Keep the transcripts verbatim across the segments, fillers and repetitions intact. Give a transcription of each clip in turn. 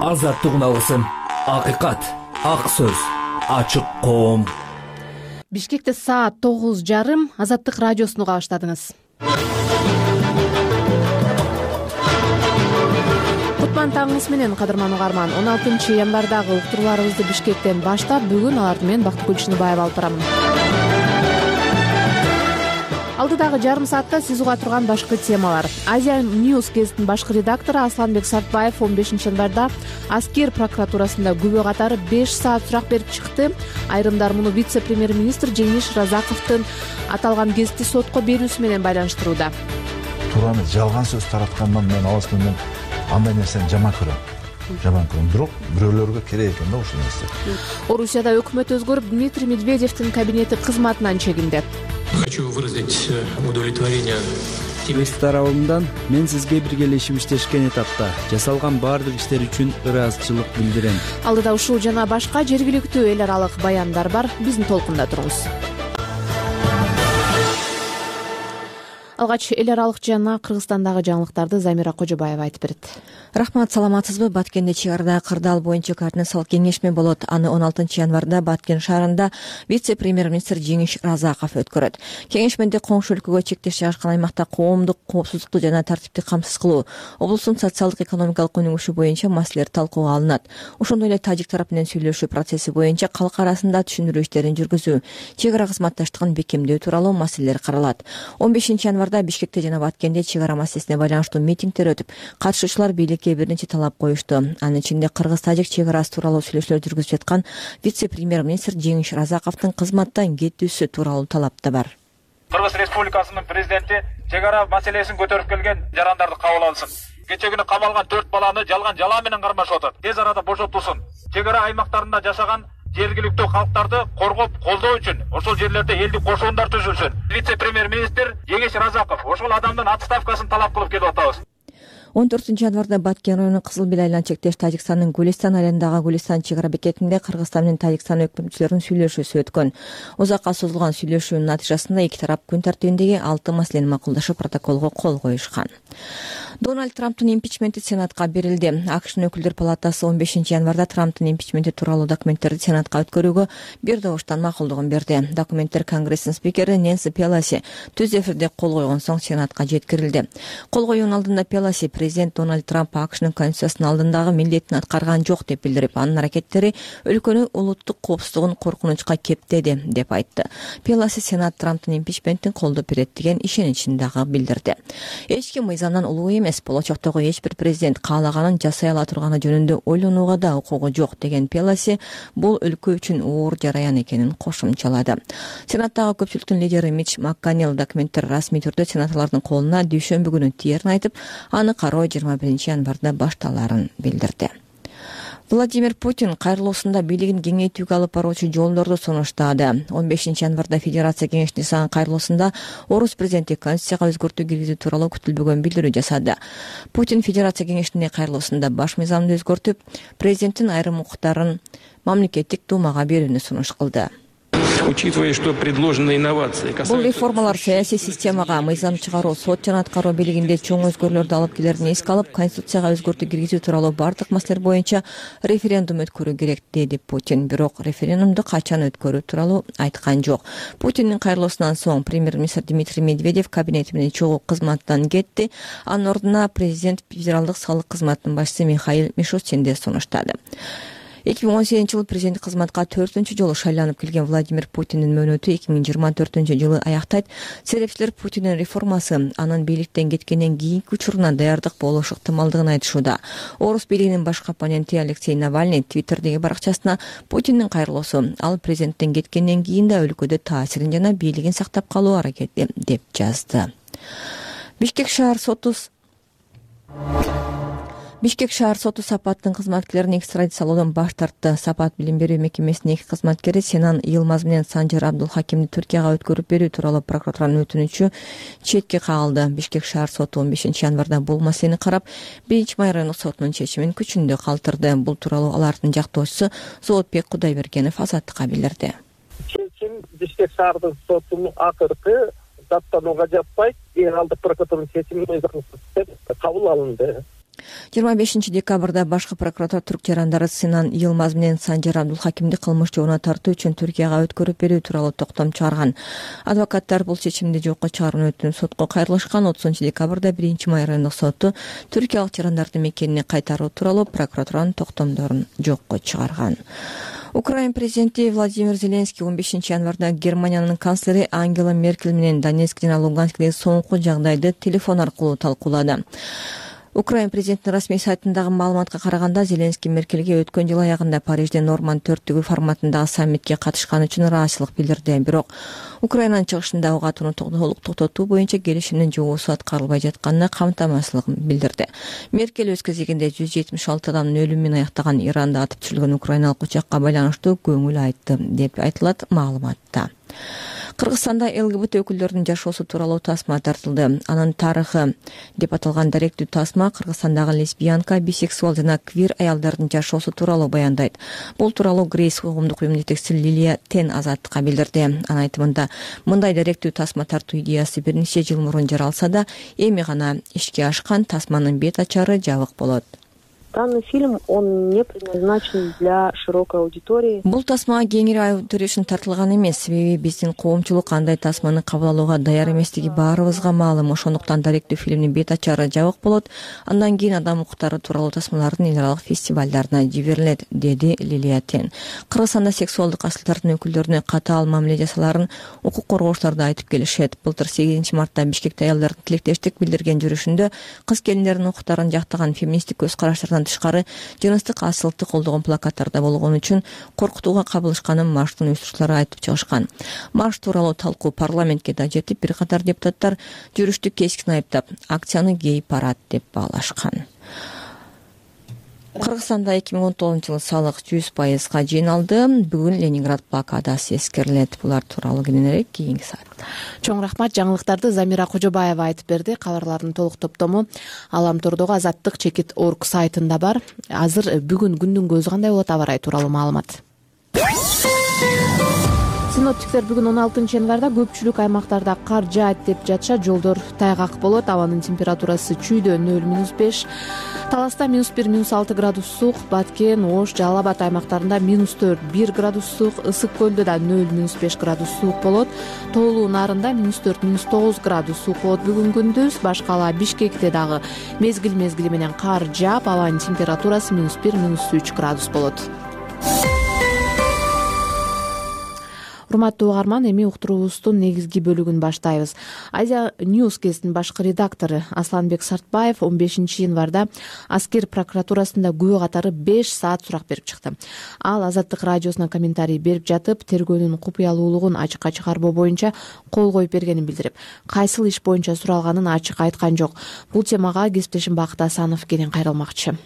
азаттыгын алгысың. Акыйкат, ак сөз, ачык коом. Бишкекте саат тогуз жарым. Азаттык радиосуну кабаштадыңыз. Кутман таңыңыз менен, кадырман угарман. он алтынчы январдагы уктурууларыбызды Бишкектен баштап, бүгүн аларды мен Бактыгүл Чыныбаева алып барамын. Алдыдагы жарым саатта сиз уга турган башкы темалар. Азия News гезитинин башкы редактору Асланбек Сартбаев он бешинчи январда Аскер прокуратурасында күбө катары беш саат сурак берип чыкты. Айрымдар муну вице-премьер-министр Жеңиш Разаковдун аталган гезитти сотко берүүсү менен байланыштырууда. Туураны жалган сөз тараткандан мен алысмын, мен андай нерсени жаман көрөм. Жаман көрөм. Бирок бирөөлөргө керек экен да ушул нерсе. Орусияда өкмөт өзгөрүп, Дмитрий Медведевдин кабинети кызматынан чегинди. Хочу выразить удовлетворение. Өз тарабымдан мен сизге биргелешип иштешкен этапта жасалган баардык иштер үчүн ыраазычылык билдирем. Алдыда ушул жана башка жергиликтүү эл аралык баяндар бар. Биздин толкунда туруңуз. Алгач эл аралык жана Кыргызстандагы жаңылыктарды Замира Кожобаева айтып берет. Рахмат, саламатсызбы? Баткенде чек арада кырдаал боюнча координациялык кеңешме болот. Аны он алтынчы январда Баткен шаарында вице-премьер-министр Жеңиш Разаков өткөрөт. Кеңешмеде коңшу өлкөгө чектеш жайгашкан аймакта коомдук коопсуздукту жана тартипти камсыз кылуу, облустун социалдык экономикалык өнүгүшү боюнча маселелер талкууга алынат. Ошондой эле тажик тарапы менен сүйлөшүү процесси боюнча калк арасында түшүндүрүү иштерин жүргүзүү, чек ара кызматташтыгын бекемдөө тууралуу маселелер каралат. он бешинчи январда Бишкекте жана Баткенде чек ара маселесине байланыштуу митингдер өтүп, катышуучулар бийликке бир нече талап коюшту. Анын ичинде кыргыз-тажик чек арасы тууралуу сүйлөшүүлөр жүргүзүп жаткан вице-премьер-министр Жеңиш Разаковдун кызматтан кетүүсү тууралуу талап да бар. Кыргыз Республикасынын президенти чек ара маселесин көтөрүп келген жарандарды кабыл алсын. Кече күнү камалган төрт баланы жалган жала менен кармашып атат. Тез арада бошотулсун. Чек ара аймактарында жашаган жергиликтүү калктарды коргоп колдоо үчүн ошол жерлерде элдик кошуундар түзүлсүн. Вице-премьер-министр Жеңиш Разаков ошол адамдын отставкасын талап кылып келип атабыз. он төртүнчү январда Баткен районунун Кызыл Бел айлан чектеш Тажикстандын Гулистан айылындагы Гулистан чек ара бекетинде Кыргызстан менен Тажикстан өкмөтчүлөрүнүн сүйлөшүүсү өткөн. Узакка созулган сүйлөшүүнүн натыйжасында эки тарап күн тартибиндеги алты маселени макулдашып, протоколго кол коюшкан. Дональд Трамптын импичменти Сенатка берилди. АКШнын өкүлдөр палатасы он бешинчи январда Трамптын импичменти тууралуу документтерди Сенатка өткөрүүгө бир добуштан макулдугун берди. Документтер Конгресстин спикери Нэнси Пелоси түз эфирде кол койгон соң Сенатка жеткирилди. Кол коюунун алдында Пелоси президент Дональд Трамп АКШнын Конституциясынын алдындагы милдетин аткарган жок деп билдирип, анын аракеттери өлкөнүн улуттук коопсуздугун коркунучка кептеди деп айтты. Пелоси Сенат Трамптын импичментин колдоп берет деген ишеничин дагы билдирди. Эч ким мыйзамдан улуу эмес, болочоктогу эч бир президент каалаганын жасай ала турганы жөнүндө ойлонууга да укугу жок деген Пелоси бул өлкө үчүн оор жараян экенин кошумчалады. Сенаттагы көпчүлүктүн лидери Митч Макконнелл документтер расмий түрдө сенаторлордун колуна дүйшөмбү күнү тиерин айтып, аны кароо жыйырма биринчи январда башталарын билдирди. Владимир Путин кайрылуусунда бийлигин кеңейтүүгө алып баруучу жолдорду сунуштады. он бешинчи январда Федерация кеңешинин жасаган кайрылуусунда орус президенти Конституцияга өзгөртүү киргизүү тууралуу күтүлбөгөн билдирүү жасады. Путин Федерация кеңешинин кайрылуусунда баш мыйзамды өзгөртүп, президенттин айрым укуктарын мамлекеттик думага берүүнү сунуш кылды. Учитывая, что предложенные инновации Бул реформалар саясий системага, мыйзам чыгаруу, сот жана аткаруу бийлигинде чоң өзгөрүүлөрдү алып келерин эске алып, Конституцияга өзгөртүү киргизүү тууралуу бардык маселелер боюнча референдум өткөрүү керек, деди Путин. Бирок референдумду качан өткөрүү тууралуу айткан жок. Путиндин кайрылуусунан соң премьер-министр Дмитрий Медведев кабинети менен чогуу кызматтан кетти. Анын ордуна президент федералдык салык кызматынын башчысы Михаил Мишустинди сунуштады. эки миң он сегизинчи жылы президенттик кызматка төртүнчү жолу шайланып келген Владимир Путиндин мөөнөтү эки миң жыйырма төртүнчү жылы аяктайт. Серепчилер Путиндин реформасы анын бийликтен кеткенден кийинки учуруна даярдык болушу ыктымалдыгын айтышууда. Орус бийлигинин башкы оппоненти Алексей Навальный Твиттердеги баракчасына Путиндин кайрылуусу ал президенттен кеткенден кийин да өлкөдө таасирин жана бийлигин сактап калуу аракети деп жазды. Бишкек шаар соту Бишкек шаар соту Сапаттын кызматкерлерин экстрадициялоодон баш тартты. Сапат билим берүү мекемесинин эки кызматкери Сенан Йылмаз менен Санжар Абдулхакимди Түркияга өткөрүп берүү тууралуу прокуратуранын өтүнүчү четке кагылды. Бишкек шаар соту он бешинчи январда бул маселени карап, биринчи май райондук сотунун чечимин күчүндө калтырды. Бул тууралуу алардын жактоочусу Зоотбек Кудайбергенов Азаттыкка билдирди. Чечим Бишкек шаардык сотунун акыркы даттанууга жатпайт, генералдык прокуратуранын чечими мыйзамсыз деп кабыл алынды. жыйырма бешинчи декабрда башкы прокуратура түрк жарандары Синан Йылмаз менен Санжар Абдулхакимди кылмыш жобуна тартуу үчүн Түркияга өткөрүп берүү тууралуу токтом чыгарган. Адвокаттар бул чечимди жокко чыгарууну өтүнүп сотко кайрылышкан. отузунчу декабрда биринчи май райондук соту түркиялык жарандардын мекенине кайтаруу тууралуу прокуратуранын токтомдорун жокко чыгарган. Украина президенти Владимир Зеленский он бешинчи январда Германиянын канцлери Ангела Меркель менен Донецк жана Луганскдеги соңку жагдайды телефон аркылуу талкуулады. Украина президентинин расмий сайтындагы маалыматка караганда Зеленский Меркельге өткөн жыл аягында Парижде Норман төрттүгү форматындагы саммитке катышканы үчүн ыраазычылык билдирди. Бирок Украинанын чыгышында ок атууну толук токтотуу боюнча келишимдин жобосу аткарылбай жатканына камтамасыздыгын билдирди. Меркель өз кезегинде жүз жетимиш алты адамдын өлүмү менен аяктаган Иранда атып түшүрүлгөн украиналык учакка байланыштуу көңүл айтты деп айтылат маалыматта. Кыргызстанда ЛГБТ өкүлдөрүнүн жашоосу тууралуу тасма тартылды. Анын тарыхы деп аталган даректүү тасма Кыргызстандагы лесбиянка, бисексуал жана квир аялдардын жашоосу тууралуу баяндайт. Бул тууралуу Грейс коомдук уюмунун жетекчиси Лилия Тен Азаттыкка билдирди. Анын айтымында, мындай даректүү тасма тартуу идеясы бир нече жыл мурун жаралса да, эми гана ишке ашкан. Тасманын бет ачары жабык болот. Данный фильм, он не предназначен для широкой аудитории. Бул тасма кеңири аудитория үчүн тартылган эмес. Себеби биздин коомчулук андай тасманы кабыл алууга даяр эместиги баарыбызга маалым. Ошондуктан даректүү фильмдин бет ачары жабык болот. Андан кийин адам укуктары тууралуу тасмалардын эл аралык фестивалдарына жиберилет, деди Лилия Тен. Кыргызстанда сексуалдык асылдардын өкүлдөрүнө катаал мамиле жасаларын укук коргоочулар да айтып келишет. Былтыр сегизинчи мартта Бишкекте аялдардын тилектештик билдирген жүрүшүндө кыз келиндердин укуктарын жактаган феминисттик көз караштардан тышкары жыныстык асылыкты колдогон плакаттарда болгон үчүн коркутууга кабылышканын марштын уюштуруучулары айтып чыгышкан. Марш тууралуу талкуу парламентке да жетип, бир катар депутаттар жүрүштү кескин айыптап, акцияны гей-парад деп баалашкан. Кыргызстанда эки миң он тогузунчу жылы салык жүз пайызга жыйналды. Бүгүн Ленинград блокадасы эскерилет. Булар тууралуу кененирээк кийинки саатта. Чоң рахмат. Жаңылыктарды Замира Кожобаева айтып берди. Кабарлардын толук топтому Аламтордогу Азаттык чекит орг сайтында бар. Азыр бүгүн күндүн көзү кандай болот, аба ырайы тууралуу маалымат. Синоптиктер бүгүн он алтынчы январда көпчүлүк аймактарда кар жаат деп жатышат. Жолдор тайгак болот. Абанын температурасы чүйдө нөл минус беш, Таласта минус бир, минус алты градус суык, Баткен, Ош, Жалал Абад аймактарында минус төрт, бир градус суык, Ысык көлдө да нөл, минус беш градус суык болот. Тоолуу Нарында минус төрт, минус тогуз градус суык болот бүгүн күндүз. Башкала Бишкекте дагы мезгил мезгили менен кар жаап, абанын температурасы минус бир, минус үч градус болот. Урматтуу угарман, эми уктуруубуздун негизги бөлүгүн баштайбыз. Азия News газетинин башкы редактору Асланбек Сартбаев он бешинчи январда Аскер прокуратурасында күбө катары беш саат сурак берип чыкты. Ал Азаттык радиосуна комментарий берип жатып, тергөөнүн купуялуулугун ачыкка чыгарбоо боюнча кол коюп бергенин билдирип, кайсыл иш боюнча суралганын ачык айткан жок. Бул темага кесиптешим Бакыт Асанов кенен кайрылмакчы.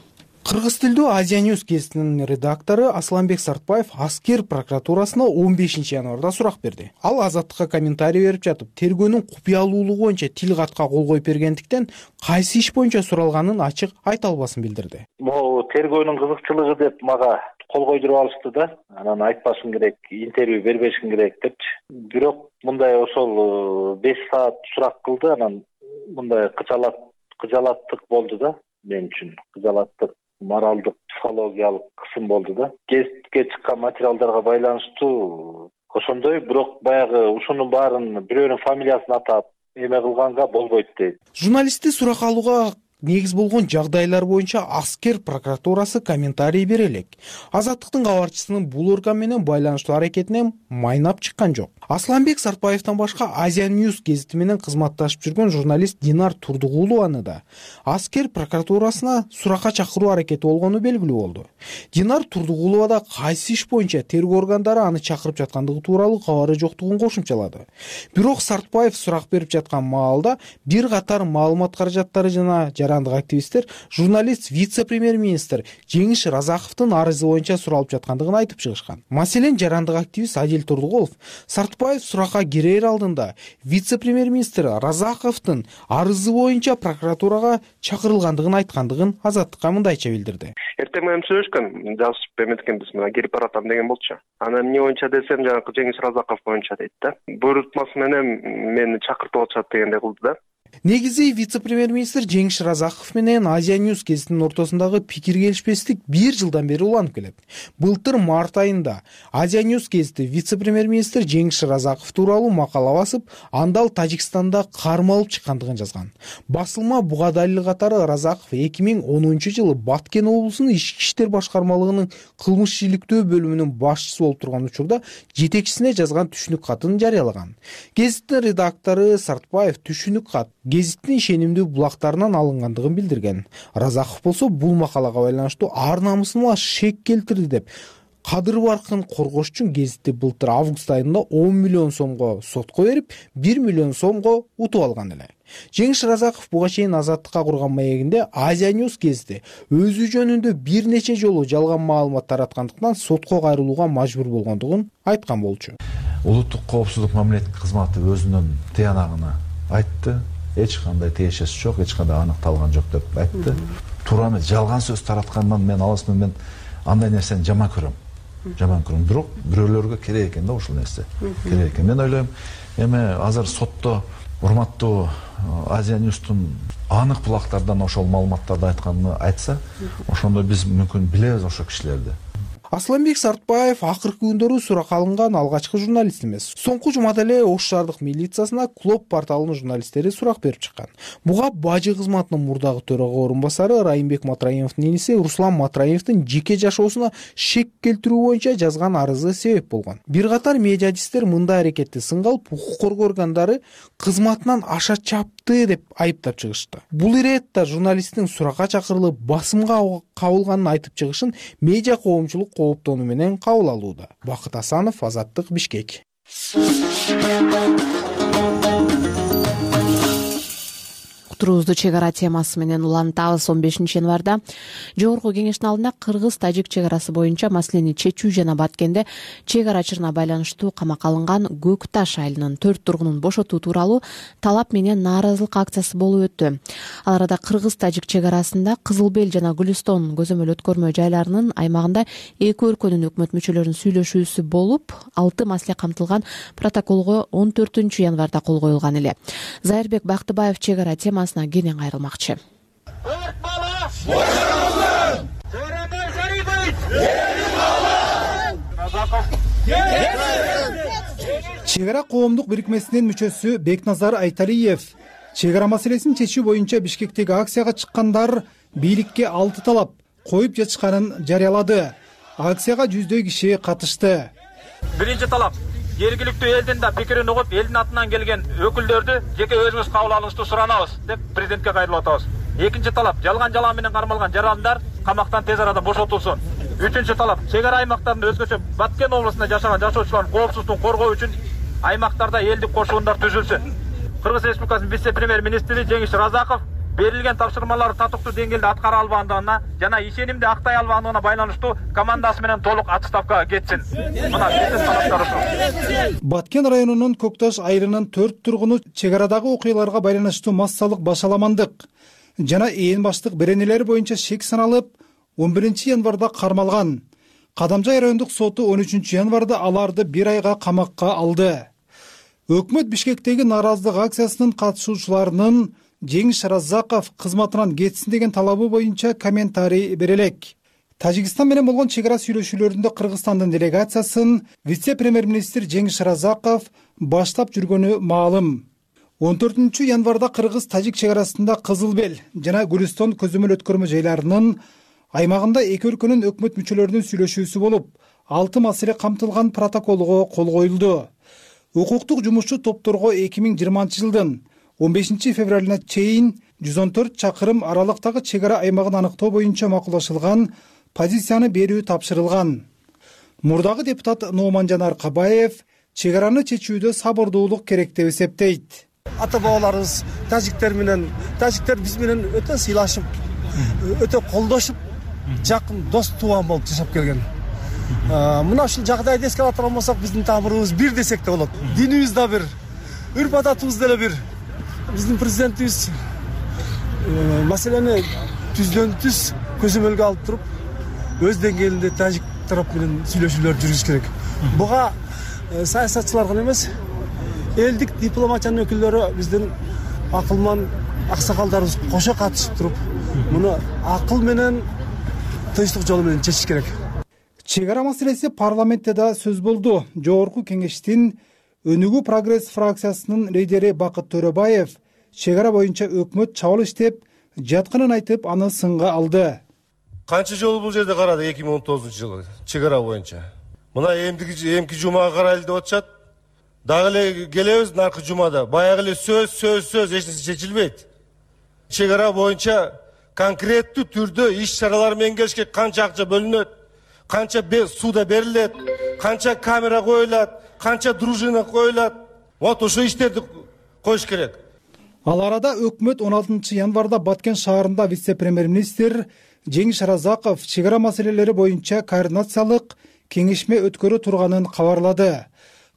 Кыргыз тилдүү Азия News газетинин редактору Асланбек Сартбаев Аскер прокуратурасына он бешинчи январда сурак берди. Ал Азаттыкка комментарий берип жатып, тергөөнүн купуялуулугу боюнча тил катка кол коюп бергендиктен кайсы иш боюнча суралганын ачык айта албасын билдирди. Могу тергөөнүн кызыкчылыгы деп мага кол койдуруп алышты да. Анан айтпашым керек, интервью бербешим керек депчи. Бирок мындай ошол беш саат сурак кылды, анан мындай кычалат кыжалаттык болду да мен үчүн. Кыжалаттык, моралдык, психологиялык кысым болду да. Гезитке чыккан материалдарга байланыштуу ошондой, бирок баягы ушунун баарын бирөөнүн фамилиясын атап эме кылганга болбойт дейт. Журналистти сурак алууга негиз болгон жагдайлар боюнча Аскер прокуратурасы комментарий бере элек. Азаттыктын кабарчысынын бул орган менен байланыштуу аракетинен майнап чыккан жок. Асланбек Сартбаевден башка Азия News газети менен кызматташып жүргөн журналист Динар Турдугулованы да Аскер прокуратурасына суракка чакыруу аракети болгону белгилүү болду. Динар Турдугулова да кайсы иш боюнча тергөө органдары аны чакырып жаткандыгы тууралуу кабары жоктугун кошумчалады. Бирок Сартбаев сурак берип жаткан маалда бир катар маалымат каражаттары жана жарандык активисттер журналист вице-премьер-министр Жеңиш Разаковдун арызы боюнча суралып жаткандыгын айтып чыгышкан. Маселен, жарандык активист Адил Турдугулов Сартбаев суракка кирер алдында вице-премьер-министр Разаковдун арызы боюнча прокуратурага чакырылгандыгын айткандыгын Азаттыкка мындайча билдирди. Эртең менен сүйлөшкөн, жазышып эметкенбиз, мына кирип баратам деген болчу. Анан эмне боюнча десем, жанагы Жеңиш Разаков боюнча дейт да. Буйрутмасы менен мени чакыртып атышат дегендей кылды да. Негизи вице-премьер-министр Жеңиш Разаков менен Азия News гезитинин ортосундагы пикир келишпестик бир жылдан бери уланып келет. Былтыр март айында Азия News гезити вице-премьер-министр Жеңиш Разаков тууралуу макала басып, анда ал Тажикстанда кармалып чыккандыгын жазган. Басылма буга далил катары Разаков эки миң онунчу жылы Баткен облусунун ички иштер башкармалыгынын кылмыш иликтөө бөлүмүнүн башчысы болуп турган учурда жетекчисине жазган түшүнүк катын жарыялаган. Гезиттин редактору Сартбаев түшүнүк кат гезиттин ишенимдүү булактарынан алынгандыгын билдирген. Разаков болсо бул макалага байланыштуу ар намысыма шек келтирди деп кадыр баркын коргош үчүн гезитти былтыр август айында он миллион сомго сотко берип, бир миллион сомго утуп алган эле. Жеңиш Разаков буга чейин Азаттыкка курган маегинде Азия News гезити өзү жөнүндө бир нече жолу жалган маалымат тараткандыктан сотко кайрылууга мажбур болгондугун айткан болчу. Улуттук коопсуздук мамилеттик кызматы өзүнүн тыянагына айтты. Эч кандай тиешеси жок, эч кандай аныкталган жок деп айтты. Туура эмес, жалган сөз тараткандан мен алысмын, мен андай нерсени жаман көрөм. Жаман көрөм. Бирок бирөөлөргө керек экен да ушул нерсе. Керек экен. Мен ойлойм, эми азыр сотто урматтуу Азия News'тун анык булактардан ошол маалыматтарды айтканын айтса, ошондо биз мүмкүн билебиз ошол кишилерди. Асланбек Сартбаев акыркы күндөрү суракка алынган алгачкы журналист эмес. Соңку жумада эле Ош шаардык милициясына Клоп порталынын журналисттери сурак берип чыккан. Буга бажы кызматынын мурдагы төрага орун басары Райымбек Матраимовдун иниси Руслан Матраимовдун жеке жашоосуна шек келтирүү боюнча жазган арызы себеп болгон. Бир катар медиадисттер мындай аракетти сынга алып, укук коргоо органдары кызматынан аша чапты деп айыптап чыгышты. Бул иретте журналисттин суракка чакырылып басымга кабылганын айтып чыгышын медиа коомчулук кооптонуу менен кабыл алууда. Бакыт Асанов, Азаттык, Бишкек. Турубузду чек ара темасы менен улантабыз. он бешинчи январда жогорку кеңештин алдында кыргыз-тажик чек арасы боюнча маселени чечүү жана Баткенде чек арачылыгына байланыштуу камакка алынган Көк Таш айылынын төрт тургунун бошотуу тууралуу талап менен нааразылык акциясы болуп өттү. Ал арада кыргыз-тажик чек арасында Кызыл Бел жана Гүлүстон көзөмөл өткөрмө жайларынын аймагында эки өлкөнүн өкмөт мүчөлөрүнүн сүйлөшүүсү болуп, алты маселе камтылган протоколго он төртүнчү январда кол коюлган эле. Зайырбек Бактыбаев чек ара темасы кенен кайрылмакчы. Чек ара коомдук бирикмесинин мүчөсү Бекназар Айталиев чек ара маселесин чечүү боюнча Бишкектеги акцияга чыккандар бийликке алты талап коюп жатышканын жарыялады. Акцияга жүздөй киши катышты. Биринчи талап: жергиликтүү элдин да пикирин угуп, элдин атынан келген өкүлдөрдү жеке өзүңүз кабыл алышты суранабыз деп президентке кайрылып атабыз. Экинчи талап: жалган жалам менен кармалган жарандар камактан тез арада бошотулсун. Үчүнчү талап: чек ара аймактарында өзгөчө Баткен облусунда жашаган жашоочулардын коопсуздугун коргоо үчүн аймактарда элдик кошундар түзүлсүн. Кыргыз Республикасынын вице-премьер-министри Жеңиш Разаков берилген тапшырмаларды татыктуу деңгээлде аткара албагандыгына жана ишенимди актай албагандыгына байланыштуу командасы менен толук отставкага кетсин. Мына биздин талаптар ушул. Баткен районунун Көк Таш айылынын төрт тургуну чек арадагы окуяларга байланыштуу массалык башаламандык жана ээн баштык беренелер боюнча шек саналып, он биринчи январда кармалган. Кадамжай райондук соту он үчүнчү январда аларды бир айга камакка алды. Өкмөт Бишкектеги нааразылык акциясынын катышуучуларынын Жеңиш Разаков кызматынан кетсин деген талабы боюнча комментарий берелек. Тажикстан менен болгон чек ара сүйлөшүүлөрүндө Кыргызстандын делегациясын вице-премьер-министр Жеңиш Разаков баштап жүргөнү маалым. он төртүнчү январда Кыргыз-тажик чек арасында Кызыл Бел жана Гүлүстон көзөмөл өткөрмө жайларынын аймагында эки өлкөнүн өкмөт мүчөлөрүнүн сүйлөшүүсү болуп, алты маселе камтылган протоколго кол коюлду. Укуктук жумушчу топторго эки миң жыйырманчы жылдын он бешинчи февралына чейин жүз он төрт чакырым аралыктагы чек ара аймагын аныктоо боюнча макулдашылган позицияны берүү тапшырылган. Мурдагы депутат Нооманжан Аркабаев чек араны чечүүдө сабырдуулук керек деп эсептейт. Ата бабаларыбыз тажиктер менен, тажиктер биз менен өтө сыйлашып, өтө колдошуп, жакын дос тууган болуп жашап келген. Мына ушул жагдайды эске ала турган болсок, биздин тамырыбыз бир десек да болот. Динибиз да бир, үрп адатыбыз деле бир. Биздин президентибиз маселени түздөн түз көзөмөлгө алып туруп, өз деңгээлинде тажик тарап менен сүйлөшүүлөр жүргүзүш керек. Буга саясатчылар гана эмес, элдик дипломатиянын өкүлдөрү биздин акылман аксакалдарыбыз кошо катышып туруп муну акыл менен тынчтык жолу менен чечиш керек. Чек ара маселеси парламентте да сөз болду. Жогорку кеңештин Өнүгүү прогресс фракциясынын лидери Бакыт Төрөбаев чек ара боюнча өкмөт чабыл иштеп жатканын айтып, аны сынга алды. Канча жолу бул жерде карадык эки миң он тогузунчу жылы чек ара боюнча. Мына эмдиги эмки жумага карайлы деп атышат. Дагы эле келебиз наркы жумада. Баягы эле сөз, сөз, сөз эч нерсе чечилбейт. Чек ара боюнча конкреттүү түрдө иш чаралар менен келишке канча акча бөлүнөт, канча сууда берилет, канча камера коюлат, канча дружина коюлат. Вот ошо иштерди коюш керек. Ал арада өкмөт он алтынчы январда Баткен шаарында вице-премьер-министр Жеңиш Разаков чек ара маселелери боюнча координациялык кеңешме өткөрө турганын кабарлады.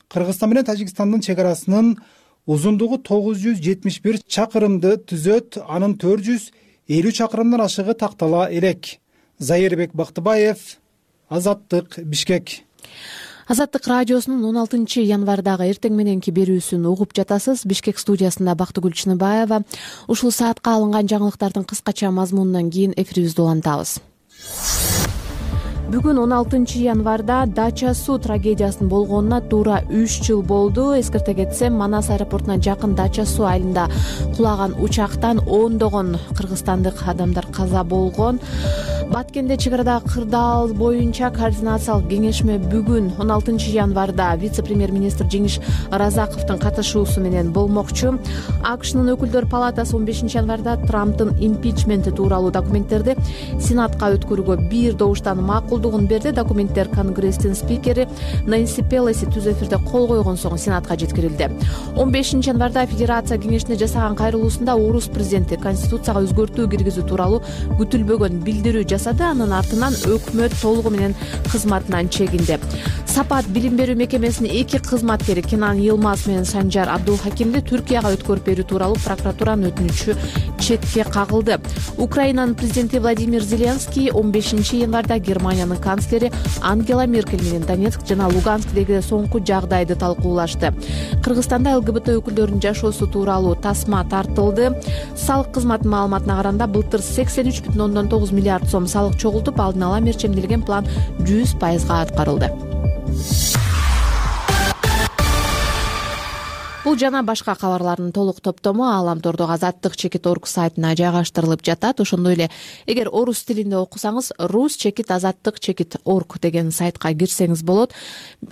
Кыргызстан менен Тажикстандын чек арасынын узундугу тогуз жүз жетимиш бир чакырымды түзөт, анын төрт жүз элүү чакырымдан ашыгы тактала элек. Зайырбек Бактыбаев, Азаттык, Бишкек. Азаттык радиосунун он алтынчы январдагы эртең мененки берүүсүн угуп жатасыз. Бишкек студиясында Бактыгүл Чыныбаева. Ушул саатка алынган жаңылыктардын кыскача мазмунунан кийин эфирибизди улантабыз. Бүгүн он алтынчы январда Дача суу трагедиясынын болгонуна туура үч жыл болду. Эскерте кетсем, Манас аэропортуна жакын Дача суу айылында кулаган учактан ондогон кыргызстандык адамдар каза болгон. Баткенде чек арадагы кырдаал боюнча координациялык кеңешме бүгүн он алтынчы январда вице-премьер-министр Жеңиш Разаковдун катышуусу менен болмокчу. АКШнын өкүлдөр палатасы он бешинчи январда Трамптын импичменти тууралуу документтерди Сенатка өткөрүүгө бир добуштан макулдугун берди. Документтер Конгресстин спикери Нэнси Пелоси түз эфирде кол койгон соң Сенатка жеткирилди. он бешинчи январда Федерация кеңешине жасаган кайрылуусунда Орус президенти Конституцияга өзгөртүү киргизүү тууралуу күтүлбөгөн билдирүү жасады. Анын артынан өкмөт толугу менен кызматынан чегинди. Сапат билим берүү мекемесинин эки кызматкери Кенан Йылмаз менен Санжар Абдулхакимди Түркияга өткөрүп берүү тууралуу прокуратуранын өтүнүчү четке кагылды. Украинанын президенти Владимир Зеленский он бешинчи январда Германиянын канцлери Ангела Меркель менен Донецк жана Луганскдеги соңку жагдайды талкуулашты. Кыргызстанда ЛГБТ өкүлдөрүнүн жашоосу тууралуу тасма тартылды. Салык кызматынын маалыматына караганда былтыр сексен үч бүтүн ондон тогуз миллиард сом салык чогултуп, алдын ала мерчемделген план жүз пайызга аткарылды. Бул жана башка кабарлардын толук топтому Ааламтордогу азаттык чекит орг сайтына жайгаштырылып жатат. Ошондой эле эгер орус тилинде окусаңыз рус чекит азаттык чекит орг деген сайтка кирсеңиз болот.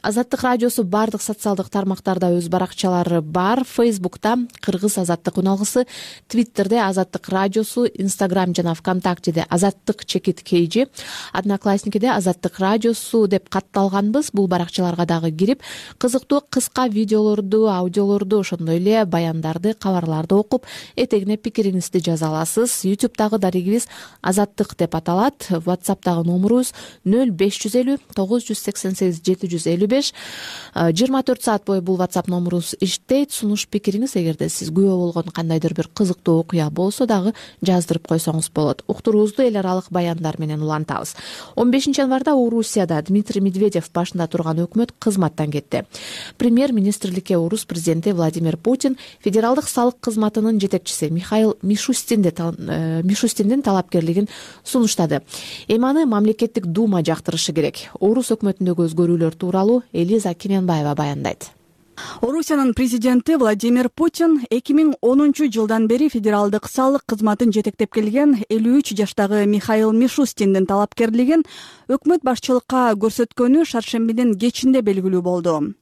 Азаттык радиосу бардык социалдык тармактарда өз баракчалары бар. Фейсбукта Кыргыз азаттык уналгысы, Твиттерде Азаттык радиосу, Инстаграм жана ВКонтактеде Азаттык чекит кейжи, Одноклассникиде Азаттык радиосу деп катталганбыз. Бул баракчаларга дагы кирип, кызыктуу кыска видеолорду, аудиолорду, ошондой эле баяндарды, кабарларды окуп, этегине пикириңизди жаза аласыз. Ютубтагы дарегибиз Азаттык деп аталат. WhatsApp'тагы номерубуз нөл беш жүз элүү тогуз жүз сексен сегиз жети жүз элүү беш. жыйырма төрт саат бою бул WhatsApp номерубуз иштейт. Сунуш пикириңиз, эгерде сиз күбө болгон кандайдыр бир кызыктуу окуя болсо дагы жаздырып койсоңуз болот. Уктуруубузду эл аралык баяндар менен улантабыз. он бешинчи январда Орусияда Дмитрий Медведев башында турган өкмөт кызматтан кетти. Премьер-министрликке Орус президенти Владимир Путин федералдык салык кызматынын жетекчиси Михаил Мишустиндин талапкерлигин сунуштады. Эми аны мамлекеттик дума жактырышы керек. Орус өкмөтүндөгү өзгөрүүлөр тууралуу Элиза Кененбаева баяндайт. Орусиянын президенти Владимир Путин эки миң онунчу жылдан бери федералдык салык кызматын жетектеп келген элүү үч жаштагы Михаил Мишустиндин талапкерлигин өкмөт башчылыкка көрсөткөнү шаршембинин кечинде белгилүү болду.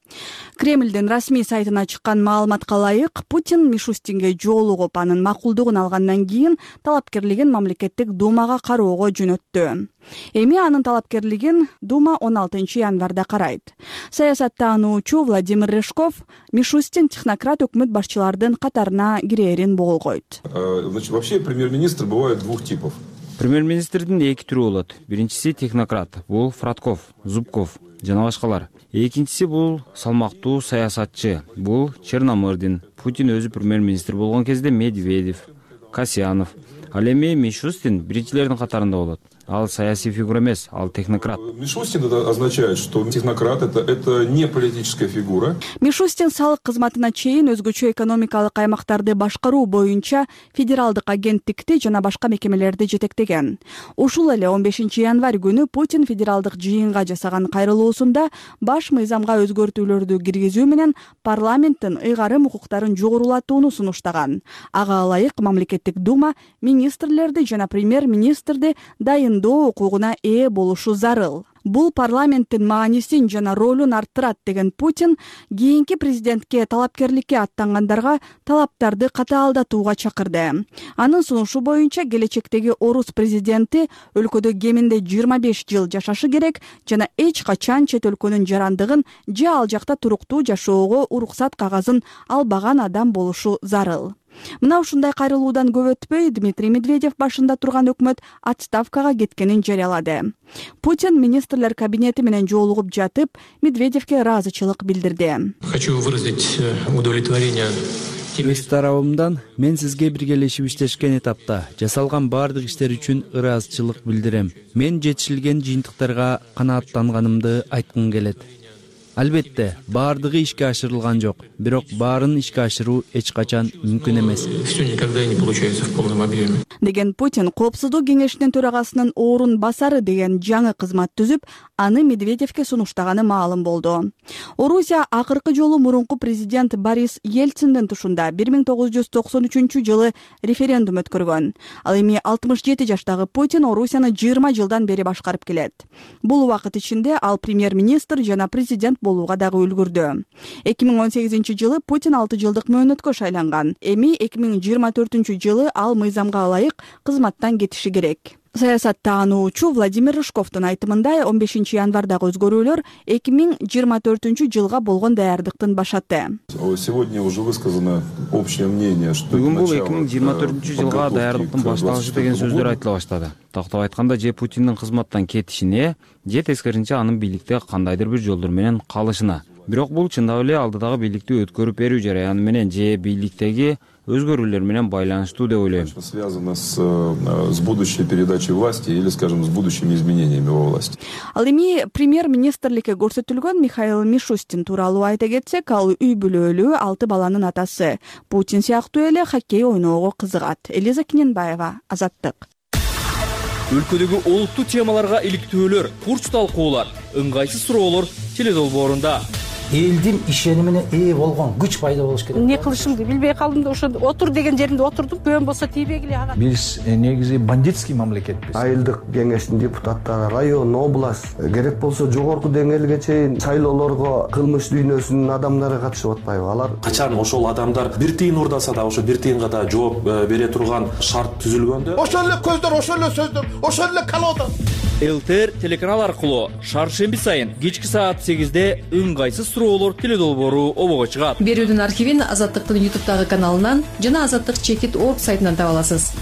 Кремлдин расмий сайтына чыккан маалыматка ылайык, Путин Мишустинге жолугуп, анын макулдугун алгандан кийин талапкерлигин мамлекеттик думага кароого жөнөттү. Эми анын талапкерлигин дума он алтынчы январда карайт. Саясаттануучу Владимир Решков Мишустин технократ өкмөт башчылардын катарына кирээрин болгойт. Значит, вообще премьер-министр бывает двух типов. Премьер-министрдин эки түрү болот. Биринчиси технократ, бул Фратков, Зубков жана башкалар. Экинчиси бул салмактуу саясатчы, бул Черномырдин. Путин өзү премьер-министр болгон кезде Медведев, Касьянов. Ал эми Мишустин биринчилердин катарында болот. Ал саясий фигура эмес, ал технократ. Мишустин это означает, что технократ это, это не политическая фигура. Мишустин салык кызматына чейин өзгөчө экономикалык аймактарды башкаруу боюнча федералдык агенттикти жана башка мекемелерди жетектеген. Ушул эле он бешинчи январь күнү Путин федералдык жыйынга жасаган кайрылуусунда баш мыйзамга өзгөртүүлөрдү киргизүү менен парламенттин ыйгарым укуктарын жогорулатууну сунуштаган. Ага ылайык мамлекеттик дума министрлерди жана премьер-министрди дайындоо укугуна ээ болушу зарыл. Бул парламенттин маанисин жана ролун арттырат деген Путин кийинки президентке талапкерликке аттангандарга талаптарды катаалдатууга чакырды. Анын сунушу боюнча келечектеги орус президенти өлкөдө кеминде жыйырма беш жыл жашашы керек жана эч качан чет өлкөнүн жарандыгын же ал жакта туруктуу жашоого уруксат кагазын албаган адам болушу зарыл. Мына ушундай кайрылуудан көп өтпөй Дмитрий Медведев башында турган өкмөт отставкага кеткенин жарыялады. Путин министрлер кабинети менен жолугуп жатып, Медведевке ыраазычылык билдирди. Хочу выразить удовлетворение. Өз тарабымдан мен сизге биргелешип иштешкен этапта жасалган баардык иштер үчүн ыраазычылык билдирем. Мен жетишилген жыйынтыктарга канааттанганымды айткым келет. Албетте, баардыгы ишке ашырылган жок, бирок баарын ишке ашыруу эч качан мүмкүн эмес. Всё никогда не получается в полном объеме. Деген Путин Коопсуздук кеңешинин төрагасынын орун басары деген жаңы кызмат түзүп, аны Медведевке сунуштаганы маалым болду. Орусия акыркы жолу мурунку президент Борис Ельциндин тушунда бир миң тогуз жүз токсон үчүнчү жылы референдум өткөргөн. Ал эми алтымыш жети жаштагы Путин Орусияны жыйырма жылдан бери башкарып келет. Бул убакыт ичинде ал премьер-министр жана президент болууга дагы үлгүрдү. эки миң он сегизинчи жылы Путин алты жылдык мөөнөткө шайланган. Эми эки миң жыйырма төртүнчү жылы ал мыйзамга ылайык кызматтан кетиши керек. Саясаттаануучу Владимир Рыжковдун айтымында он бешинчи январдагы өзгөрүүлөр эки миң жыйырма төртүнчү жылга болгон даярдыктын башаты. Сегодня уже высказано общее мнение, что бүгүн бул эки миң жыйырма төртүнчү жылга даярдыктын башталышы деген сөздөр айтыла баштады. Тактап айтканда, же Путиндин кызматтан кетишине, же тескерисинче анын бийликте кандайдыр бир жолдор менен калышына. Бирок бул чындап эле алдыдагы бийликти өткөрүп берүү жараяны менен же бийликтеги өзгөрүүлөр менен байланыштуу деп ойлойм. Связано с, с будущей передачей власти или, скажем, с будущими изменениями во власти. Ал эми премьер-министрликке көрсөтүлгөн Михаил Мишустин тууралуу айта кетсек, ал үй бүлөлүү алты баланын атасы. Путин сыяктуу эле хоккей ойноого кызыгат. Элиза Киненбаева, Азаттык. Өлкөдөгү олуттуу темаларга иликтөөлөр, курч талкуулар, ыңгайсыз суроолор теледолбоорунда. Элдин ишенимине ээ болгон күч пайда болуш керек. Не кылышымды билбей калдым да ошо отур деген жеримде отурдум. Көөн болсо тийбегиле ага. Биз негизи бандитский мамлекетпиз. Айылдык кеңештин депутаттары, район, область, керек болсо жогорку деңгээлге чейин шайлоолорго кылмыш дүйнөсүнүн адамдары катышып атпайбы? Алар качан ошол адамдар бир тыйын урдаса да ошо бир тыйынга да жооп бере турган шарт түзүлгөндө, ошол эле көздөр, ошол эле сөздөр, ошол эле колода. ЛТР телеканал аркылуу шаршемби сайын кечки саат сегизде ыңгайсыз суроолор теледолбоору обого чыгат. Берүүдүн архивин Азаттыктын ютубтагы каналынан жана Азаттык чекит точка орг сайтынан таба аласыз.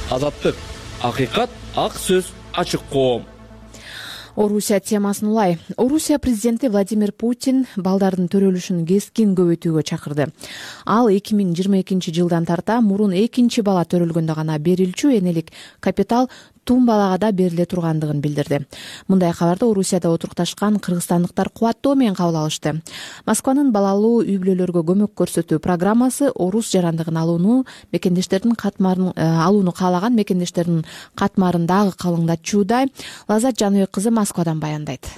Азаттык, акыйкат, ак сөз, ачык коом. Орусия темасын улай. Орусия президенти Владимир Путин балдардын төрөлүшүн кескин көбөйтүүгө чакырды. Ал эки миң жыйырма экинчи жылдан тарта мурун экинчи бала төрөлгөндө гана берилчү энелик капитал тум балага да бериле тургандыгын билдирди. Мындай кабарды Орусияда отурукташкан кыргызстандыктар кубаттоо менен кабыл алышты. Москванын балалуу үй бүлөлөргө көмөк көрсөтүү программасы орус жарандыгын алууну мекендештердин катмарын алууну каалаган мекендештердин катмарын дагы калыңдатчууда. Лазат Жаныбек кызы Москвадан баяндайт.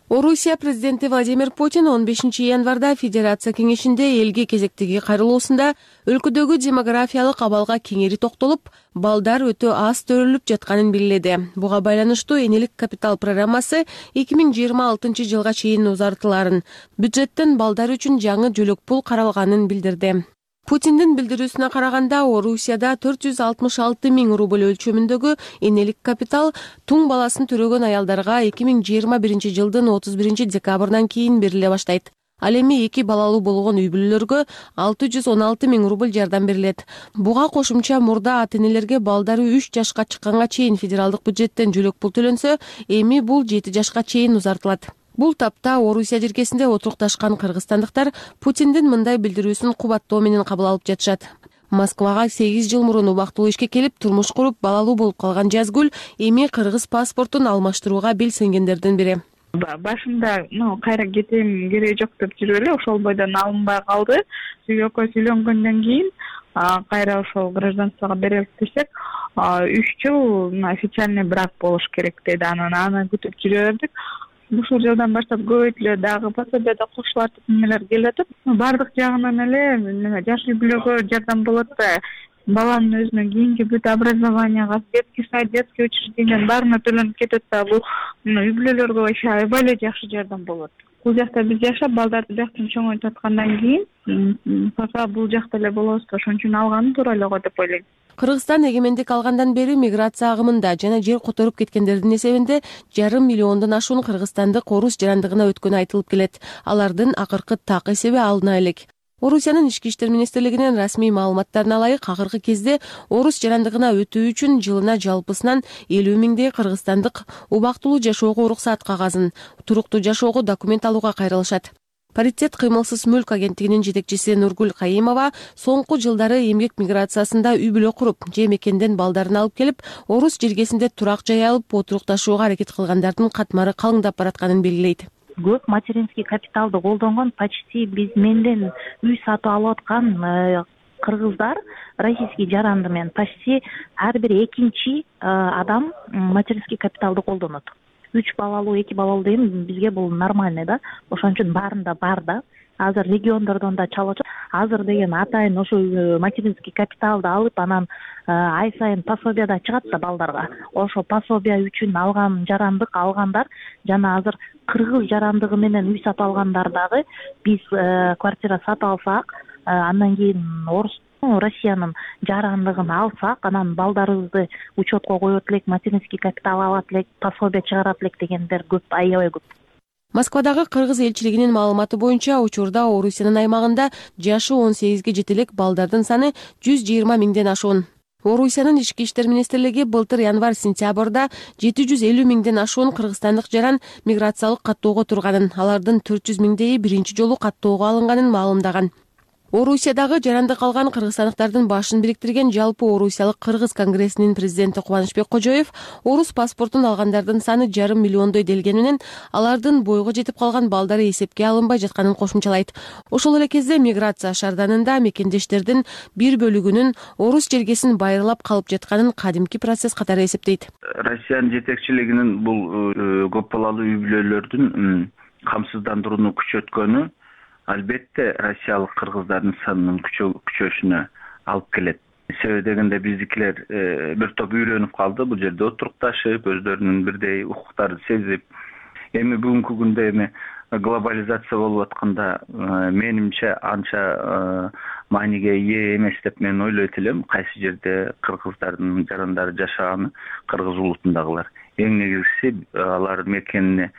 Орусия президенти Владимир Путин он бешинчи январда Федерация кеңешинде элге кезектеги кайрылуусунда өлкөдөгү демографиялык абалга кеңири токтолуп, балдар өтө аз төрөлүп жатканын белгиледи. Буга байланыштуу энелик капитал программасы эки миң жыйырма алтынчы жылга чейин узартыларын, бюджеттен балдар үчүн жаңы жөлөк пул каралганын билдирди. Путиндин билдирүүсүнө караганда, Орусияда төрт жүз алтымыш алты миң рубль өлчөмүндөгү энелик капитал туң баласын төрөгөн аялдарга эки миң жыйырма биринчи жылдын отуз биринчи декабрдан кийин бериле баштайт. Ал эми эки балалуу болгон үй бүлөлөргө алты жүз он алты миң рубль жардам берилет. Буга кошумча мурда ата-энелерге балдары үч жашка чыкканга чейин федералдык бюджеттен жөлөк пул төлөнсө, эми бул жети жашка чейин узартылат. Бул тапта Орусия жиркесинде отурукташкан кыргызстандыктар Путиндин мындай билдирүүсүн кубаттоо менен кабыл алып жатышат. Москвага сегиз жыл мурун убактылуу ишке келип турмуш куруп балалуу болуп калган Жазгүл эми кыргыз паспортун алмаштырууга белсенгендердин бири. Башында ну кайра кетем кереги жок деп жүрүп эле ошол бойдон алынбай калды. Сүйгү экөөбүз үйлөнгөндөн кийин кайра ошол гражданствого берелик десек, үч жыл официальный брак болуш керек деди. Анан аны күтүп жүрө бердик. Ушул жылдан баштап көбөйтүлө дагы пособияда кошулар деп немелер келип атат. Бардык жагынан эле жаш үй-бүлөгө жардам болот да. Баланын өзүнө кийинки бүт образованияга, детский сад, детский учреждениянын баарына төлөнүп кетет да. Бул үй-бүлөлөргө вообще аябай эле жакшы жардам болот. Бул жакта биз жашап, балдарды бияктан чоңойтуп аткандан кийин пока бул жакта эле болобуз, ошон үчүн алганым туура эле го деп ойлойм. Кыргызстан эгемендик алгандан бери миграция агымында жана жер которуп кеткендердин эсебинде жарым миллиондон ашуун кыргызстандык орус жарандыгына өткөнү айтылып келет. Алардын акыркы так эсеби алына элек. Орусиянын ички иштер министрлигинин расмий маалыматтарына ылайык, акыркы кезде орус жарандыгына өтүү үчүн жылына жалпысынан элүү миңдей кыргызстандык убактылуу жашоого уруксаат кагазын, туруктуу жашоого документ алууга кайрылышат. Паритет кыймылсыз мүлк агенттигинин жетекчиси Нургүл Кайымова соңку жылдары эмгек миграциясында үй-бүлө куруп, же мекенден балдарын алып келип, орус жергесинде турак жай алып, отурукташууга аракет кылгандардын катмары калыңдап баратканын белгилейт. Көп материнский капиталды колдонгон, почти биз менден үй сатып алып аткан кыргыздар, российский жаранды менен почти ар бир экинчи адам материнский капиталды колдонот. Үч балалуу, эки балалуу деген бизге бул нормальный да. Ошон үчүн баарында бар да. Азыр региондордон да чалып атат. Азыр деген атайын ошо материнский капиталды алып, анан ай сайын пособияда чыгат да балдарга. Ошо пособия үчүн алган жарандык алгандар жана азыр кыргыз жарандыгы менен үй сатып алгандар дагы биз квартира сатып алсак, андан кийин орус Россиянын жарандыгын алсак, анан балдарыбызды учетко коет элек, материнский капитал алат элек, пособия чыгарат элек дегендер көп, аябай көп. Москвадагы кыргыз элчилигинин маалыматы боюнча, учурда Орусиянын аймагында жашы он сегизге жете элек балдардын саны жүз жыйырма миңден ашуун. Орусиянын ички иштер министрлиги былтыр январь-сентябрда жети жүз элүү миңден ашуун кыргызстандык жаран миграциялык каттоого турганын, алардын төрт жүз миңдейи биринчи жолу каттоого алынганын маалымдаган. Орусиядагы жарандык алган кыргызстандыктардын башын бириктирген жалпы Орусиялык кыргыз конгрессинин президенти Кубанычбек Кожоев орус паспортун алгандардын саны жарым миллиондой делгени менен алардын бойго жетип калган балдары эсепке алынбай жатканын кошумчалайт. Ошол эле кезде миграция шаарданында мекендештердин бир бөлүгүнүн орус жергесин байырлап калып жатканын кадимки процесс катары эсептейт. Россиянын жетекчилигинин бул көп балалуу үй-бүлөлөрдүн камсыздандырууну күчөткөнү албетте россиялык кыргыздардын санынын күчөшүнө алып келет. Себеби дегенде биздикилер бир топ үйрөнүп калды, бул жерде отурукташып, өздөрүнүн бирдей укуктарын сезип. Эми бүгүнкү күндө эми глобализация болуп атканда менимче анча мааниге ээ эмес деп мен ойлойт элем. Кайсы жерде кыргыздардын жарандары жашаганы, кыргыз улутундагылар. Эң негизгиси алар мекенине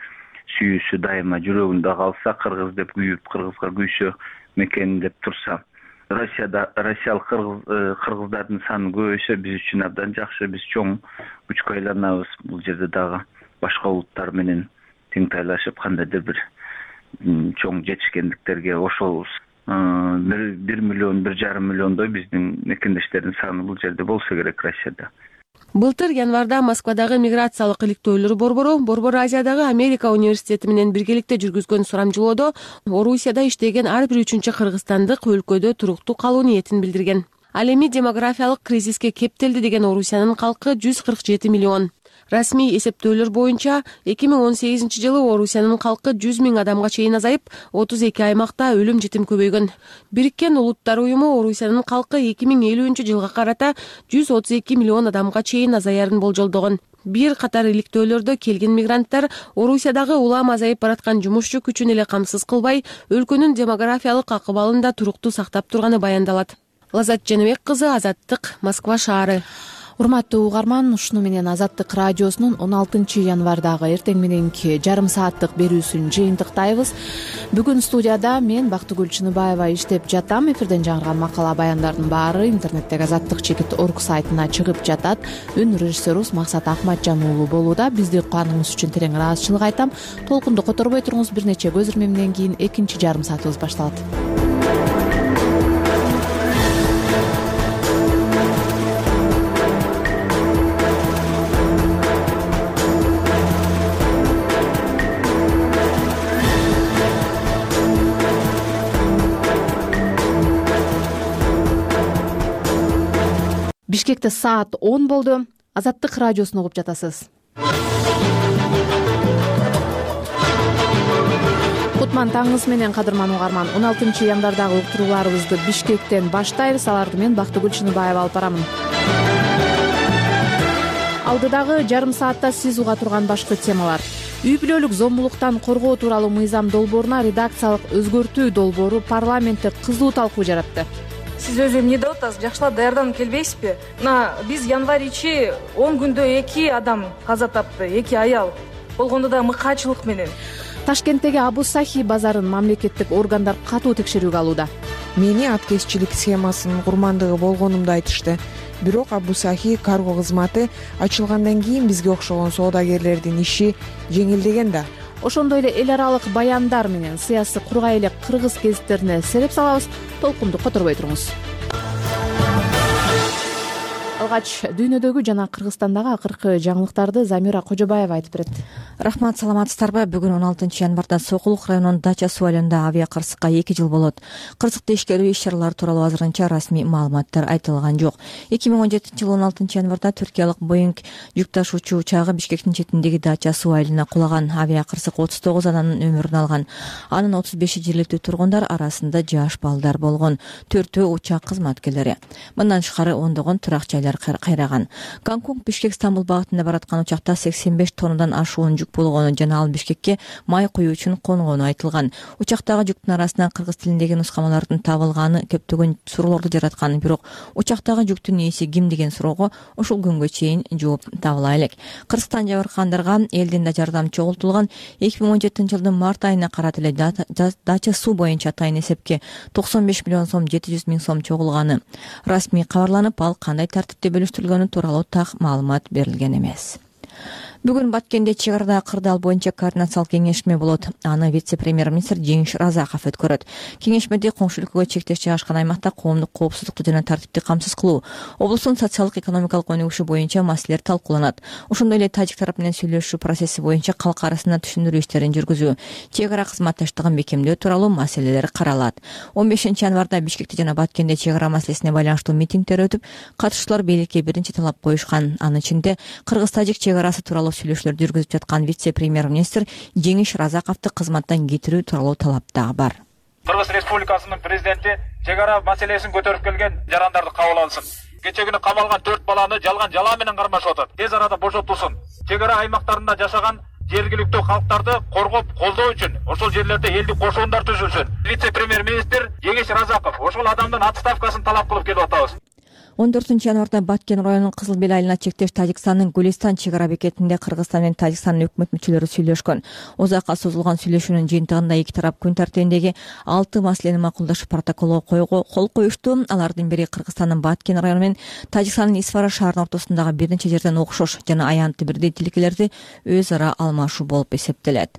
сүйүүсү дайыма жүрөгүндө калса, кыргыз деп күйүп, кыргызга күйсө, мекени деп турса. Россияда россиялык кыргыздардын саны көбөйсө биз үчүн абдан жакшы, биз чоң күчкө айланабыз. Бул жерде дагы башка улуттар менен тең тайлашып, кандайдыр бир чоң жетишкендиктерге ошолбуз. бир миллион, бир жарым миллиондой биздин мекендештердин саны бул жерде болсо керек Россияда. Былтыр январда Москвадагы миграциялык иликтөөлөр борбору Борбор Азиядагы Америка университети менен биргеликте жүргүзгөн сурамжылоодо Орусияда иштеген ар бир үчүнчү кыргызстандык өлкөдө туруктуу калуу ниетин билдирген. Ал эми демографиялык кризиске кептелди деген Орусиянын калкы жүз кырк жети миллион. Расмий эсептөөлөр боюнча эки миң он сегизинчи жылы Орусиянын калкы жүз миң адамга чейин азайып, отуз эки аймакта өлүм житим көбөйгөн. Бириккен Улуттар уюму Орусиянын калкы эки миң элүүнчү жылга карата жүз отуз эки миллион адамга чейин азаярын болжолдогон. Бир катар иликтөөлөрдө келген мигранттар Орусиядагы улам азайып бараткан жумушчу күчүн эле камсыз кылбай, өлкөнүн демографиялык акыбалын да туруктуу сактап турганы баяндалат. Лазат Жаныбек кызы, Азаттык, Москва шаары. Урматтуу угарман, ушуну менен Азаттык радиосунун он алтынчы январдагы эртең мененки жарым сааттык берүүсүн жыйынтыктайбыз. Бүгүн студияда мен Бактыгүл Чыныбаева иштеп жатам. Эфирден жаңырган макала баяндардын баары интернеттеги азаттык чекит точка орг сайтына чыгып жатат. Үн режиссерубуз Максат Акматжан уулу болууда. Бизди укканыңыз үчүн терең ыраазычылык айтам. Толкунду которбой туруңуз, бир нече көз ирмемден кийин экинчи жарым саатыбыз башталат. Бишкекте саат он болду. Азаттык радиосун угуп жатасыз. Кутман таңыңыз менен, кадырман угарман. он алтынчы январдагы уктурууларыбызды Бишкектен баштайбыз. Аларды мен Бактыгүл Чыныбаева алып барамын. Алдыдагы жарым саатта сиз уга турган башкы темалар. Үй бүлөлүк зомбулуктан коргоо тууралуу мыйзам долбооруна редакциялык өзгөртүү долбоору парламентте кызуу талкуу жаратты. Сиз өзү эмне деп атасыз? Жакшылап даярданып келбейсизби? Мына биз январь ичи он күндө эки адам каза тапты, эки аял. Болгондо да мыкаачылык менен. Ташкенттеги Абу Сахи базарын мамлекеттик органдар катуу текшерүүгө алууда. Мени аткезчилик схемасынын курмандыгы болгонумду айтышты. Бирок Абу Сахи карго кызматы ачылгандан кийин бизге окшогон соодагерлердин иши жеңилдеген да. Ошондой эле эл аралык баяндар менен сыясий кургай эле кыргыз гезиттерине сереп салабыз. Толкунду которбой туруңуз. Алгач дүйнөдөгү жана Кыргызстандагы акыркы жаңылыктарды Замира Кожобаева айтып берет. Рахмат, саламатсыздарбы? Бүгүн он алтынчы январда Сокулук районунун Дача суу айылында авиа кырсыкка эки жыл болот. Кырсыкты ишкерүү иш-чаралары тууралуу азырынча расмий маалыматтар айтылган жок. эки миң он жетинчи жылы он алтынчы январда түркиялык Боинг жүк ташуучу учагы Бишкектин четиндеги Дача суу айылына кулаган. Авиа кырсык отуз тогуз адамдын өмүрүн алган. Анын отуз беши жергиликтүү тургундар арасында жаш балдар болгон. Төртөө учак кызматкерлери. Мындан тышкары ондогон турак жайлар кайраган. Гонконг Бишкек Стамбул багытында бараткан учакта сексен беш тоннадан ашуун жүк болгону жана ал Бишкекке май куюу үчүн конгону айтылган. Учактагы жүктүн арасынан кыргыз тилиндеги нускамалардын табылганы көптөгөн суроолорду жараткан. Бирок учактагы жүктүн ээси ким деген суроого ушул күнгө чейин жооп табыла элек. Кыргызстан жабыркагандарга элден да жардам чогултулган. эки миң он жетинчи жылдын март айына карата эле Дача суу боюнча атайын эсепке токсон беш миллион сом жети жүз миң сом чогулганы расмий кабарланып, ал кандай тартипте бөлүштүрүлгөнү тууралуу так маалымат берилген эмес. Бүгүн Баткенде чек арада кырдаал боюнча координациялык кеңешме болот. Аны вице-премьер-министр Жеңиш Разаков өткөрөт. Кеңешмеде коңшу өлкөгө чектеш жайгашкан аймакта коомдук коопсуздукту жана тартипти камсыз кылуу, облустун социалдык-экономикалык өнүгүшү боюнча маселелер талкууланат. Ошондой эле тажик тарап менен сүйлөшүү процесси боюнча калк арасында түшүндүрүү иштерин жүргүзүү, чек ара кызматташтыгын бекемдөө тууралуу маселелер каралат. он бешинчи январда Бишкекте жана Баткенде чек ара маселесине байланыштуу митингдер өтүп, катышуучулар бийликке биринчи талап коюшкан. Анын ичинде кыргыз-тажик чек арасы тууралуу сүйлөшүүлөр жүргүзүп жаткан вице-премьер-министр Жеңиш Разаковду кызматтан кетирүү тууралуу талап дагы бар. Кыргыз Республикасынын президенти чек ара маселесин көтөрүп келген жарандарды кабыл алсын. Кече күнү камалган төрт баланы жалган жала менен кармашып атат. Тез арада бошотулсун. Чек ара аймактарында жашаган жергиликтүү калктарды коргоп колдоо үчүн ошол жерлерде элдик кошуундар түзүлсүн. Вице-премьер-министр Жеңиш Разаков ошол адамдын отставкасын талап кылып келип атабыз. он төртүнчү январда Баткен районунун Кызыл Бел айылына чектеш Тажикстандын Гулистан чек ара бекетинде Кыргызстан менен Тажикстандын өкмөт мүчөлөрү сүйлөшкөн. Узакка созулган сүйлөшүүнүн жыйынтыгында эки тарап күн тартибиндеги алты маселени макулдашып протоколго кол коюшту. Алардын бири Кыргызстандын Баткен району менен Тажикстандын Исфара шаарынын ортосундагы бир нече жерден окшош жана аянты бирдей тилкелерди өз ара алмашуу болуп эсептелет.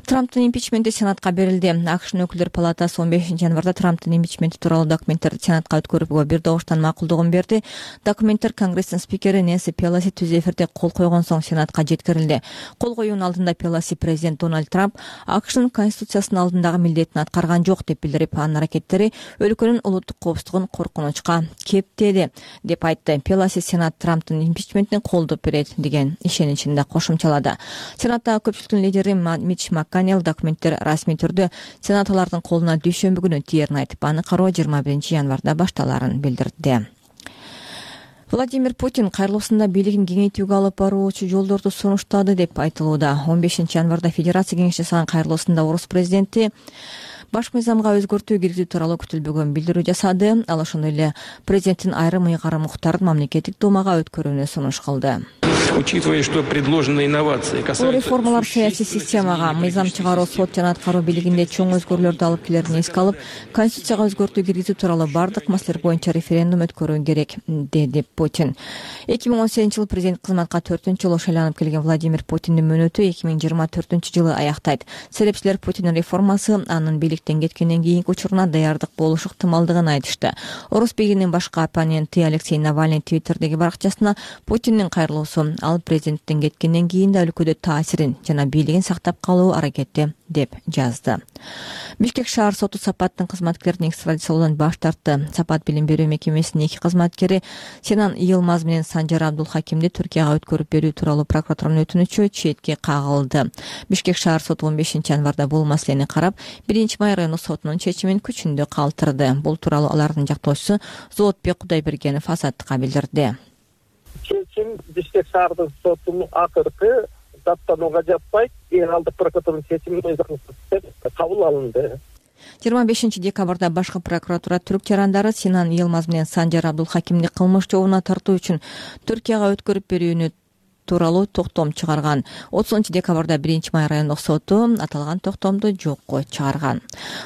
Трамптын импичменти Сенатка берилди. АКШнын өкүлдөр палатасы он бешинчи январда Трамптын импичменти тууралуу документтерди Сенатка өткөрүүгө бир добуштан макулдугун берди. Документтер Конгресстин спикери Нэнси Пелоси түз эфирде кол койгон соң Сенатка жеткирилди. Кол коюунун алдында Пелоси президент Дональд Трамп АКШнын конституциясынын алдындагы милдетин аткарган жок деп билдирип, анын аракеттери өлкөнүн улуттук коопсуздугун коркунучка кептеди деп айтты. Пелоси Сенат Трамптын импичментине колдоп берет деген ишеничин да кошумчалады. Сенаттагы көпчүлүктүн лидери Митч Макконнелл документтер расмий түрдө сенаторлордун колуна дүйшөмбү күнү тиерин айтып, аны кароо жыйырма биринчи январда башталарын билдирди. Владимир Путин кайрылуусунда бийлигин кеңейтүүгө алып баруучу жолдорду сунуштады деп айтылууда. он бешинчи январда Федерация кеңеши жасаган кайрылуусунда орус президенти баш мыйзамга өзгөртүү киргизүү тууралуу күтүлбөгөн билдирүү жасады. Ал ошондой эле президенттин айрым ыйгарым укуктарын мамлекеттик думага өткөрүүнү сунуш кылды. Учитывая, что предложенные инновации касаются... Бул реформалар саясий системага, мыйзам чыгаруу, сот жана аткаруу бийлигинде чоң өзгөрүүлөрдү алып келерин эске алып, конституцияга өзгөртүү киргизүү тууралуу бардык маселелер боюнча референдум өткөрүү керек, деди Путин. эки миң он сегизинчи жылы президент кызматка төртүнчү жолу шайланып келген Владимир Путиндин мөөнөтү эки миң жыйырма төртүнчү жылы аяктайт. Серепчилер Путиндин реформасы анын бийликтен кеткенден кийинки учуруна даярдык болушу ыктымалдыгын айтышты. Орус бийлигинин башкы оппоненти Алексей Навальный Твиттердеги баракчасына Путиндин кайрылуусу ал президенттен кеткенден кийин да өлкөдө таасирин жана бийлигин сактап калуу аракети деп жазды. Бишкек шаар соту Сапаттын кызматкерин экстрадициялоодан баш тартты. Сапат билим берүү мекемесинин эки кызматкери Сенан Йылмаз менен Санжар Абдулхакимди Түркияга өткөрүп берүү тууралуу прокуратуранын өтүнүчү четке кагылды. Бишкек шаар соту он бешинчи январда бул маселени карап, биринчи май райондук сотунун чечимин күчүндө калтырды. Бул тууралуу алардын жактоочусу Зоотбек Кудайбергенов Азаттыкка билдирди. Чечим Бишкек шаардык сотунун акыркы даттанууга жатпайт, генералдык прокуратуранын чечими кабыл алынды. жыйырма бешинчи декабрда башкы прокуратура түрк жарандары Сенан Йылмаз менен Санжар Абдулхакимди кылмыш жообуна тартуу үчүн Түркияга өткөрүп берүүнү тууралуу токтом чыгарган. отузунчу декабрда биринчи май райондук соту аталган токтомду жокко чыгарган.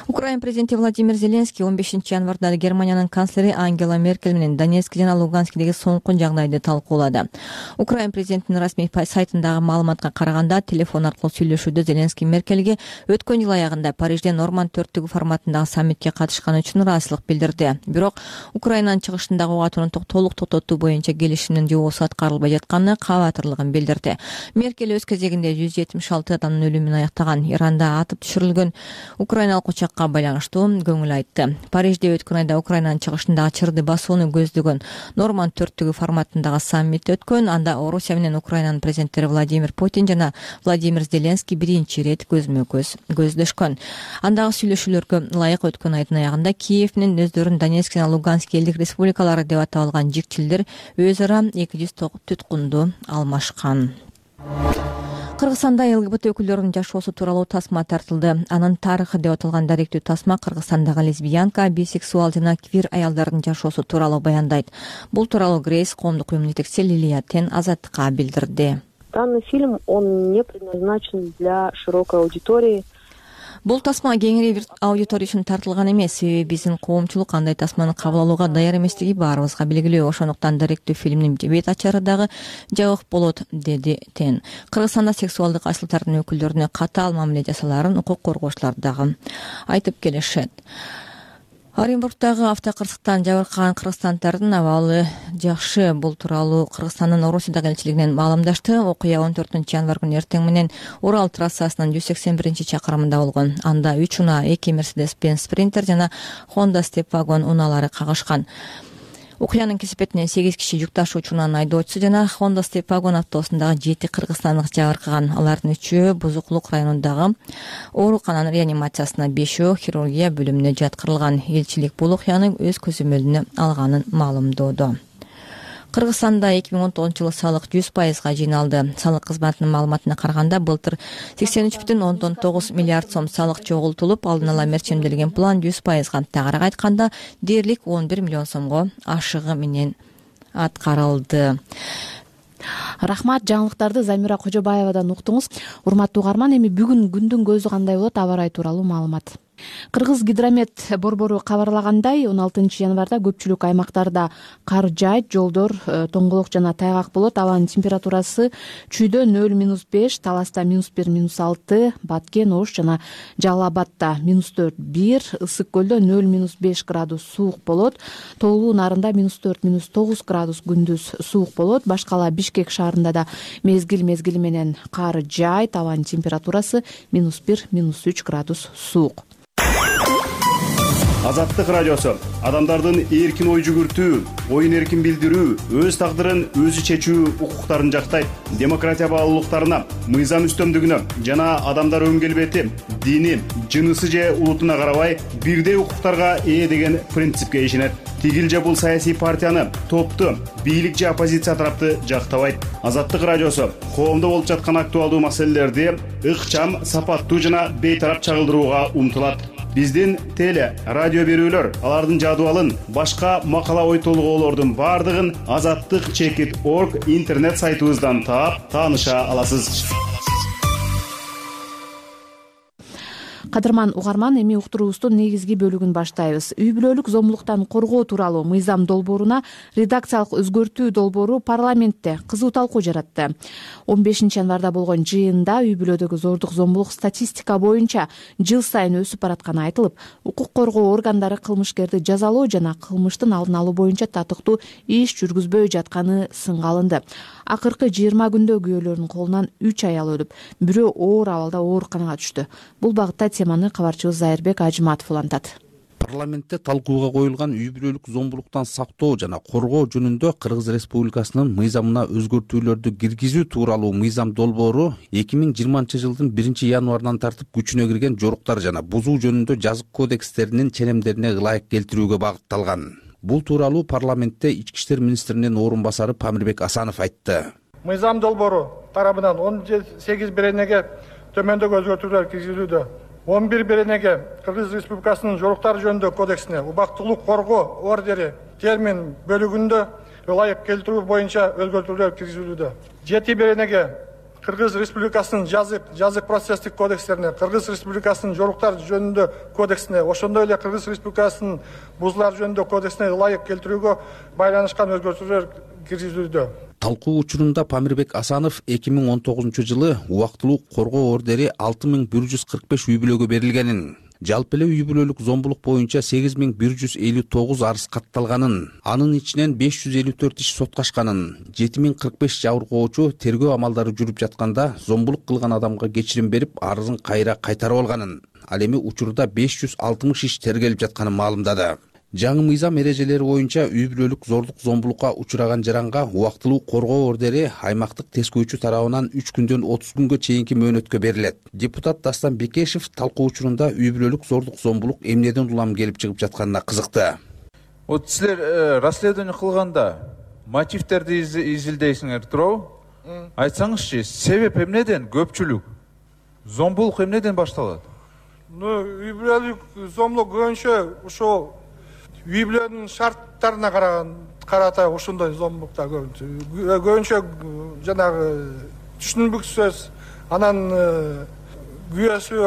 Украина президенти Владимир Зеленский он бешинчи январда Германиянын канцлери Ангела Меркель менен Донецк жана Луганскдеги соңку жагдайды талкуулады. Украина президентинин расмий сайтындагы маалыматка караганда, телефон аркылуу сүйлөшүүдө Зеленский Меркельге өткөн жыл аягында Парижде Норманд төрттүгү форматындагы саммитке катышканы үчүн ыраазычылык билдирди. Бирок Украинанын чыгышындагы угат унутук толук токтотуу боюнча келишимдин жобосу аткарылбай жатканына кабатырлык билдирди. Меркель өз кезегинде жүз жетимиш алты адамдын өлүмүн аяктаган, Иранда атып түшүрүлгөн украиналык учакка байланыштуу көңүл айтты. Парижде өткөн айда Украинанын чыгышындагы чырды басууну көздөгөн Норманд төрттүгү форматындагы саммит өткөн. Анда Орусия менен Украинанын президенттери Владимир Путин жана Владимир Зеленский биринчи рет көзмө-көз көздөшкөн. Андагы сүйлөшүүлөргө ылайык өткөн айдын аягында Киев менен өздөрүн Донецк жана Луганск элдик республикалары деп атап алган жикчилдер өз ара эки жүз туткунду алмашкан. Кыргызстанда ЛГБТ өкүлдөрүнүн жашоосу тууралуу тасма тартылды. Анын тарыхы деп аталган даректүү тасма Кыргызстандагы лесбиянка, бисексуал жана квир аялдардын жашоосу тууралуу баяндайт. Бул тууралуу Грейс коомдук уюмунун жетекчиси Лилия Тен Азаттыкка билдирди. Данный фильм, он не предназначен для широкой аудитории. Бул тасма кеңири бир аудитория үчүн тартылган эмес, себеби биздин коомчулук андай тасманы кабыл алууга даяр эместиги баарыбызга белгилүү. Ошондуктан даректүү фильмдин бет ачары дагы жабык болот, деди Тен. Кыргызстанда сексуалдык айсылтардын өкүлдөрүнө катаал мамиле жасалаарын укук коргоочулар дагы айтып келишет. Оренбургдагы автокырсыктан жабыркаган кыргызстандардын абалы жакшы. Бул тууралуу Кыргызстандын Орусиядагы элчилигинен маалымдашты. Окуя он төртүнчү январ күнү эртең менен Урал трассасынын жүз сексен биринчи чакырымында болгон. Анда үч унаа, эки Mercedes-Benz Sprinter жана Honda Step Wagon унаалары кагышкан. Окуянын кесепетинен сегиз киши жүк ташуучу унаанын айдоочусу жана Honda Step Wagon автобусундагы жети кыргызстандык жабыркаган. Алардын үчөө Бузукулук районундагы оорукананын реанимациясына, бешөө хирургия бөлүмүнө жаткырылган. Элчилик бул окуяны өз көзөмөлүнө алганын маалымдоодо. Кыргызстанда эки миң он тогузунчу жылы салык жүз пайызга жыйналды. Салык кызматынын маалыматына караганда, былтыр сексен үч бүтүн ондон тогуз миллиард сом салык чогултулуп, алдын ала мерчемделген план жүз пайызга, тагыраак айтканда дээрлик он бир миллион сомго ашыгы менен аткарылды. Рахмат, жаңылыктарды Замира Кожобаевадан уктуңуз. Урматтуу угарман, эми бүгүн күндүн көзү кандай болот, аба ырайы тууралуу маалымат. Кыргыз гидромет борбору кабарлагандай, он алтынчы январда көпчүлүк аймактарда кар жаайт, жолдор тоңголок жана тайгак болот. Абанын температурасы Чүйдө нөл минус беш, Таласта минус бир минус алты, Баткен, Ош жана Жалал Абадта минус төрт бир, Ысык көлдө нөл минус беш градус суук болот. Тоолуу Нарында минус төрт минус тогуз градус күндүз суук болот. Башкала Бишкек шаарында да мезгил мезгили менен кар жаайт. Абанын температурасы минус бир минус үч градус суук. Азаттык радиосу адамдардын эркин ой жүгүртүү, оюн эркин билдирүү, өз тагдырын өзү чечүү укуктарын жактайт. Демократия баалуулуктарына, мыйзам үстөмдүгүнө жана адамдар өн келбети, дини, жынысы же улутуна карабай бирдей укуктарга ээ деген принципке ишенет. Тигил же бул саясий партияны, топту, бийлик же оппозиция тарапты жактабайт. Азаттык радиосу коомдо болуп жаткан актуалдуу маселелерди ыкчам, сапаттуу жана бейтарап чагылдырууга умтулат. Биздин теле, радио берүүлөр, алардын жадыбалын, башка макала ой толгоолордун бардыгын азаттык чекит точка орг интернет сайтыбыздан таап, тааныша аласыз. Кадырман угарман, эми уктуруубуздун негизги бөлүгүн баштайбыз. Үй бүлөлүк зомбулуктан коргоо тууралуу мыйзам долбооруна редакциялык өзгөртүү долбоору парламентте кызуу талкуу жаратты. он бешинчи январда болгон жыйында үй бүлөдөгү зордук зомбулук статистика боюнча жыл сайын өсүп баратканы айтылып, укук коргоо органдары кылмышкерди жазалоо жана кылмыштын алдын алуу боюнча татыктуу иш жүргүзбөй жатканы сынга алынды. Акыркы жыйырма күндө күйөөлөрүнүн колунан үч аял өлүп, бирөө оор абалда ооруканага түштү. Бул багытта теманы кабарчыбыз Зайырбек Ажыматов улантат. Парламентте талкууга коюлган үй бүлөлүк зомбулуктан сактоо жана коргоо жөнүндө Кыргыз Республикасынын мыйзамына өзгөртүүлөрдү киргизүү тууралуу мыйзам долбоору эки миң жыйырманчы жылдын биринчи январынан тартып күчүнө кирген жоруктар жана бузуу жөнүндө жазык кодекстеринин ченемдерине ылайык келтирүүгө багытталган. Бул тууралуу парламентте Ички иштер министринин орун басары Памирбек Асанов айтты. Мыйзам долбоору тарабынан он сегиз беренеге төмөндөгү өзгөртүүлөр киргизилүүдө. он бир беренеге Кыргыз Республикасынын жоруктар жөнүндө кодексине убактылык коргоо ордери термин бөлүгүндө ылайык келтирүү боюнча өзгөртүүлөр киргизилүүдө. жети беренеге Кыргыз Республикасынын жазык жазык процесстик кодекстерине, Кыргыз Республикасынын жоруктар жөнүндө кодексине, ошондой эле Кыргыз Республикасынын бузулар жөнүндө кодексине ылайык келтирүүгө байланышкан өзгөртүүлөр киргизилүүдө. Талкуу учурунда Памирбек Асанов эки миң он тогузунчу жылы убактылуу коргоо ордери алты миң бир жүз кырк беш үй бүлөгө берилгенин, жалпы эле үй бүлөлүк зомбулук боюнча сегиз миң бир жүз элүү тогуз арыз катталганын, анын ичинен беш жүз элүү төрт иш соткашканын, жети миң кырк беш жабыркоочу тергөө амалдары жүрүп жатканда зомбулук кылган адамга кечирим берип, арызын кайра кайтарып алганын, ал эми учурда беш жүз алтымыш иш тергелип жатканын маалымдады. Жаңы мыйзам эрежелери боюнча үй бүлөлүк зордук зомбулукка учураган жаранга убактылуу коргоо ордери аймактык тескөөчү тарабынан үч күндөн отуз күнгө чейинки мөөнөткө берилет. Депутат Дастан Бекешев талкуу учурунда үй бүлөлүк зордук зомбулук эмнеден улам келип чыгып жатканына кызыкты. Вот силер расследование кылганда мотивтерди изилдейсиңер туурабы? Айтсаңызчы, себеп эмнеден көпчүлүк зомбулук эмнеден башталат? Ну, үй бүлөлүк зомбулук көбүнчө ушул үй бүлөнүн шарттарына караган карата ушундай зомбулуктар көбүнчө көбүнчө жанагы түшүнүксүз, анан күйөөсү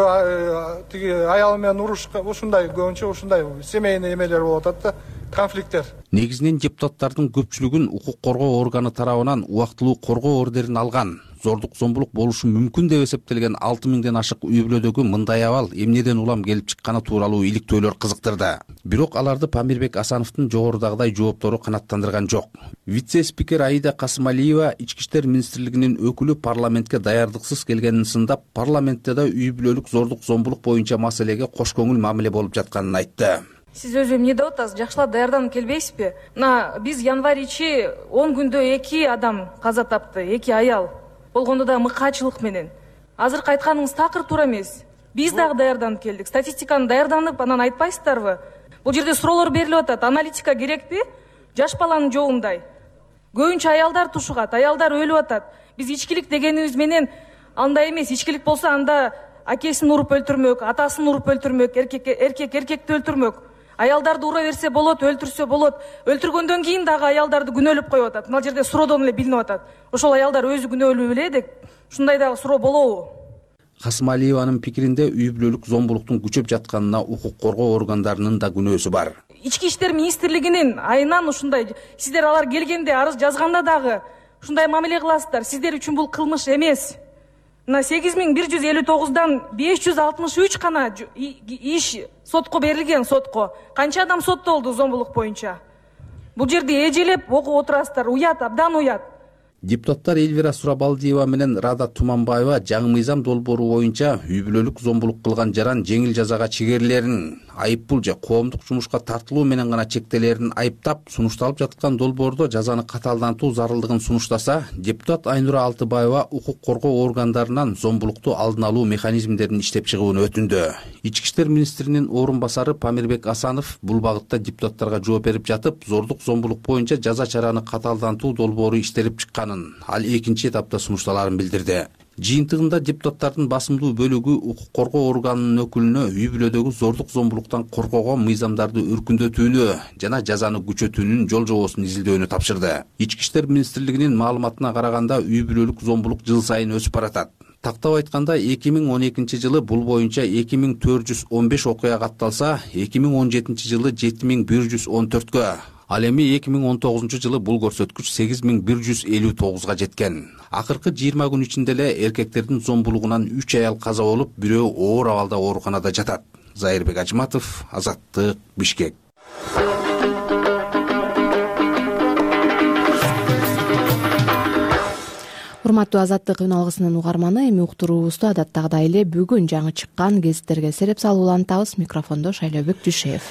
тиги аялы менен уруш, ушундай көбүнчө ушундай семейный эмелер болуп атат да, конфликттер. Негизинен депутаттардын көпчүлүгүн укук коргоо органы тарабынан убактылуу коргоо ордерин алган, зордук зомбулук болушу мүмкүн деп эсептелген алты миңден ашык үй бүлөдөгү мындай абал эмнеден улам келип чыкканы тууралуу иликтөөлөр кызыктырды. Бирок аларды Памирбек Асановдун жогорудагыдай жооптору канааттандырган жок. Вице-спикер Аида Касымалиева Ички иштер министрлигинин өкүлү парламентке даярдыксыз келгенин сындап, парламентте да үй бүлөлүк зордук зомбулук боюнча маселеге кош көңүл мамиле болуп жатканын айтты. Сиз өзү эмне деп атасыз? Жакшылап даярданып келбейсизби? Мына биз январь ичи он күндө эки адам каза тапты, эки аял. Болгондо да мыкаачылык менен. Азыркы айтканыңыз такыр туура эмес. Биз дагы даярданып келдик. Статистиканы даярданып, анан айтпайсыздарбы? Бул жерде суроолор берилип атат. Аналитика керекпи? Жаш баланын жоогундай. Көбүнчө аялдар тушугат, аялдар өлүп атат. Биз ичкилик дегенибиз менен андай эмес. Ичкилик болсо анда акесин уруп өлтүрмөк, атасын уруп өлтүрмөк, эркек эркек эркекти өлтүрмөк. Аялдарды ура берсе болот, өлтүрсө болот. Өлтүргөндөн кийин дагы аялдарды күнөөлөп коюп атат. Мына жерде суроодон эле билинип атат. Ошол аялдар өзү күнөөлүү беле деп, ушундай дагы суроо болобу? Касымалиеванын пикиринде үй бүлөлүк зомбулуктун күчөп жатканына укук коргоо органдарынын да күнөөсү бар. Ички иштер министрлигинин айынан ушундай, сиздер алар келгенде арыз жазганда дагы ушундай мамиле кыласыздар. Сиздер үчүн бул кылмыш эмес. Мына сегиз миң бир жүз элүү тогуздан беш жүз алтымыш үч гана иш сотко берилген, сотко. Канча адам соттолду зомбулук боюнча? Бул жерде эжелеп окуп отурасыздар, уят, абдан уят. Депутаттар Эльвира Сурабалдиева менен Рада Туманбаева жаңы мыйзам долбоору боюнча үй бүлөлүк зомбулук кылган жаран жеңил жазага чегерилерин, айыппул же коомдук жумушка тартылуу менен гана чектелерин айыптап, сунушталып жаткан долбоордо жазаны катаалдантуу зарылдыгын сунуштаса, депутат Айнура Алтыбаева укук коргоо органдарынан зомбулукту алдын алуу механизмдерин иштеп чыгууну өтүндү. Ички иштер министринин орун басары Памирбек Асанов бул багытта депутаттарга жооп берип жатып, зордук зомбулук боюнча жаза чараны катаалдантуу долбоору иштелип чыкканын, ал экинчи этапта сунушталарын билдирди. Жыйынтыгында депутаттардын басымдуу бөлүгү укук коргоо органынын өкүлүнө үй бүлөдөгү зордук зомбулуктан коргоого мыйзамдарды өркүндөтүүнү жана жазаны күчөтүүнүн жол жобосун изилдөөнү тапшырды. Ички иштер министрлигинин маалыматына караганда үй бүлөлүк зомбулук жыл сайын өсүп баратат. Тактап айтканда эки миң он экинчи жылы бул боюнча эки миң төрт жүз он беш окуя катталса, эки миң он жетинчи жылы жети миң бир жүз он төрткө, ал эми эки миң он тогузунчу жылы бул көрсөткүч сегиз миң бир жүз элүү тогузга жеткен. Акыркы жыйырма күн ичинде эле эркектердин зомбулугунан үч аял каза болуп, бирөө оор абалда ооруканада жатат. Зайырбек Ажматов, Азаттык, Бишкек. Урматтуу Азаттык үн алгысынын угарманы, эми уктуруубузду адаттагыдай эле бүгүн жаңы чыккан гезиттерге сереп салып улантабыз. Микрофондо Шайлообек Дүйшеев.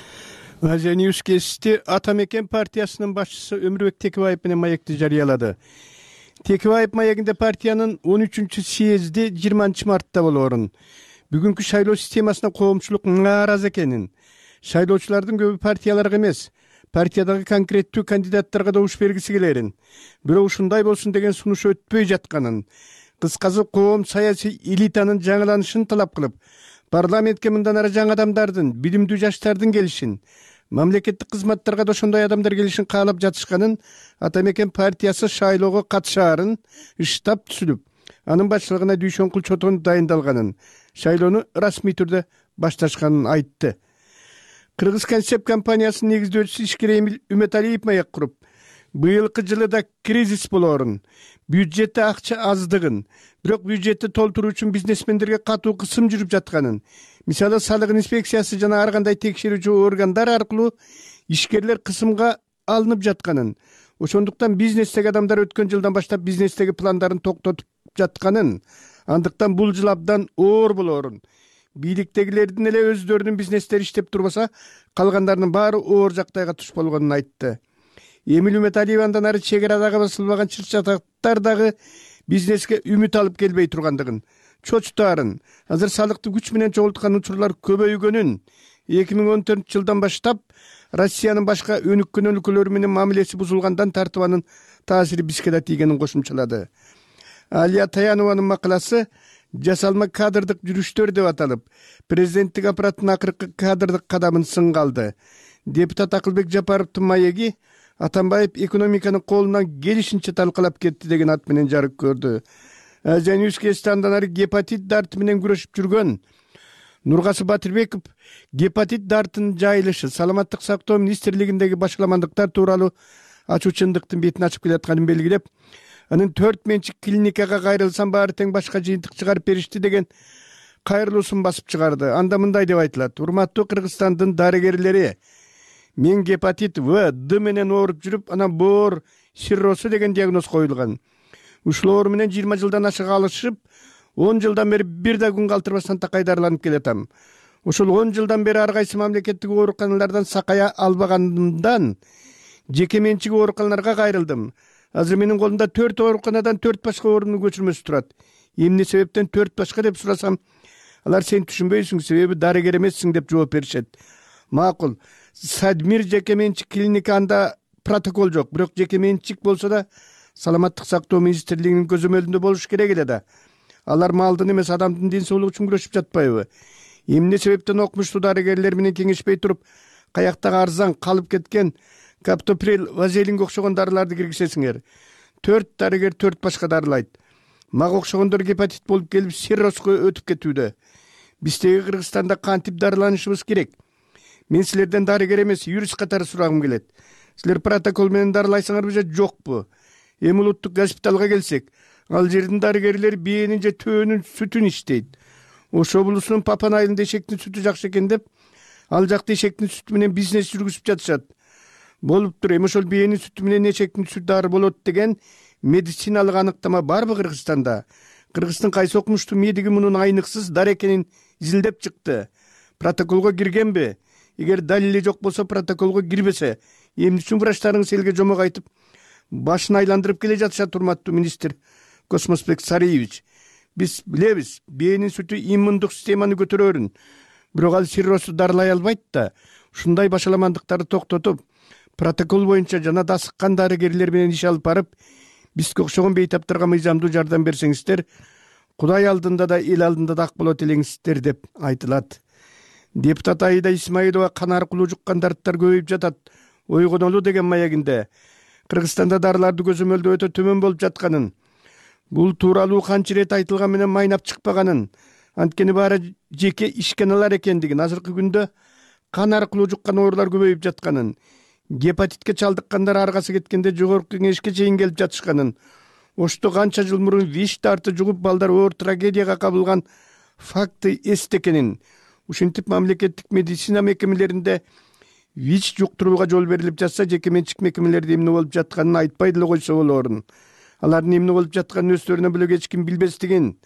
Азия Ньюс гезити Ата мекен партиясынын башчысы Өмүрбек Текебаев менен маекти жарыялады. Текебаев маегинде партиянын он үчүнчү съезди жыйырманчы мартта болоорун, бүгүнкү шайлоо системасына коомчулук нааразы экенин, шайлоочулардын көбү партияларга эмес, партиядагы конкреттүү кандидаттарга добуш бергиси келерин, бирок ушундай болсун деген сунуш өтпөй жатканын, кыскасы коом саясий элитанын жаңыланышын талап кылып, парламентке мындан ары жаңы адамдардын, билимдүү жаштардын келишин, мамлекеттик кызматтарга да ошондой адамдар келишин каалап жатышканын, Ата мекен партиясы шайлоого катышаарын штаб түзүлүп, анын башчылыгына Дүйшөн Кулчотон дайындалганын, шайлоону расмий түрдө башташканын айтты. Кыргыз концепт компаниясынын негиздөөчүсү ишкер Эмил Үмөталиев маек куруп, быйылкы жылы да кризис болоорун, бюджетте акча аздыгын, бирок бюджетти толтуруу үчүн бизнесмендерге катуу кысым жүрүп жатканын, мисалы салык инспекциясы жана ар кандай текшерүүчү органдар аркылуу ишкерлер кысымга алынып жатканын, ошондуктан бизнестеги адамдар өткөн жылдан баштап бизнестеги пландарын токтотуп жатканын, андыктан бул жыл абдан оор болоорун, бийликтегилердин эле өздөрүнүн бизнестери иштеп турбаса, калгандарынын баары оор жактайга туш болгонун айтты. Эмил Үмөталиев андан ары чек арадагы басылбаган чыр-чатактар дагы бизнеске үмүт алып келбей тургандыгын, чочтаарын, азыр салыкты күч менен чогулткан учурлар көбөйгөнүн, эки миң он төртүнчү жылдан баштап Россиянын башка өнүккөн өлкөлөр менен мамилеси бузулгандан тартып анын таасири бизге да тийгенин кошумчалады. Алия Таянованын макаласы жасалма кадрдык жүрүштөр деп аталып, президенттик аппараттын акыркы кадрдык кадамын сынга алды. Депутат Акылбек Жапаровдун маеги Атамбаев экономиканын колунан келишинче талкалап кетти деген ат менен жарык көрдү. Азия Ньюс гезити андан ары гепатит дарты менен күрөшүп жүргөн Нургасы Батырбеков гепатит дартынын жайылышы, саламаттык сактоо министрлигиндеги башаламандыктар тууралуу ачуу чындыктын бетин ачып келатканын белгилеп, анын төрт менчик клиникага кайрылсам баары тең башка жыйынтык чыгарып беришти деген кайрылуусун басып чыгарды. Анда мындай деп айтылат: урматтуу Кыргызстандын дарыгерлери, мен гепатит В, Д менен ооруп жүрүп, анан боор сирросу деген диагноз коюлган. Ушул оору менен жыйырма жылдан ашык алышып, он жылдан бери бир да күн калтырбастан такай дарыланып келатам. Ошол он жылдан бери ар кайсы мамлекеттик ооруканалардан сакая албаганымдан жеке менчик ооруканаларга кайрылдым. Азыр менин колумда төрт ооруканадан төрт башка оорунун көчүрмөсү турат. Эмне себептен төрт башка деп сурасам, алар сен түшүнбөйсүң, себеби дарыгер эмессиң деп жооп беришет. Макул, Садмир жеке менчик клиника, анда протокол жок, бирок жеке менчик болсо да саламаттык сактоо министрлигинин көзөмөлүндө болуш керек эле да. Алар малдын эмес, адамдын ден соолугу үчүн күрөшүп жатпайбы? Эмне себептен окумуштуу дарыгерлер менен кеңешпей туруп, каяктагы арзан калып кеткен каптоприл, вазелинге окшогон дарыларды киргизесиңер? Төрт дарыгер төрт башка дарылайт. Мага окшогондор гепатит болуп келип сиррозго өтүп кетүүдө. Биздеги Кыргызстанда кантип дарыланышыбыз керек? Мен силерден дарыгер эмес, юрист катары сурагым келет. Силер протокол менен дарылайсыңарбы же жокпу? Эми улуттук госпиталга келсек, ал жердин дарыгерлери бээнин же төөнүн сүтүн иштейт. Ош облусунун Папан айылында эшектин сүтү жакшы экен деп, ал жакта эшектин сүтү менен бизнес жүргүзүп жатышат. Болуптур, эми ошол бээнин сүтү менен эшектин сүтү дары болот деген медициналык аныктама барбы Кыргызстанда? Кыргыздын кайсы окумуштуу медиги мунун айныксыз дары экенин изилдеп чыкты? Протоколго киргенби? Эгер далили жок болсо, протоколго кирбесе, эмне үчүн врачтарыңыз элге жомок айтып, башын айландырып келе жатышат, урматтуу министр Космосбек Сариевич? Биз билебиз, бээнин сүтү иммундук системаны көтөрөөрүн, бирок ал сиррозду дарылай албайт да. Ушундай башаламандыктарды токтотуп, протокол боюнча жана да асыккан дарыгерлер менен иш алып барып, бизге окшогон бейтаптарга мыйзамдуу жардам берсеңиздер, Кудай алдында да эл алдында да ак болот элеңиздер деп айтылат. Депутат Аида Исмаилова кан аркылуу жуккандардар көбөйүп жатат, ойгонолу деген маегинде Кыргызстанда дарыларды көзөмөлдөө өтө төмөн болуп жатканын, бул тууралуу канча ирет айтылган менен майнап чыкпаганын, анткени баары жеке ишканалар экендигин, азыркы күндө кан аркылуу жуккан оорулар көбөйүп жатканын, гепатитке чалдыккандар аргасы кеткенде жогорку кеңешке чейин келип жатышканын, ошто канча жыл мурун ВИЧ дарты жугуп балдар оор трагедияга кабылган факты эсте экенин, ушинтип мамлекеттик медицина мекемелеринде ВИЧ жуктурууга жол берилип жатса, жеке менчик мекемелерде эмне болуп жатканын айтпай деле койсо болорун. Алардын эмне болуп жатканын өздөрүнөн бөлөк эч ким билбестигин,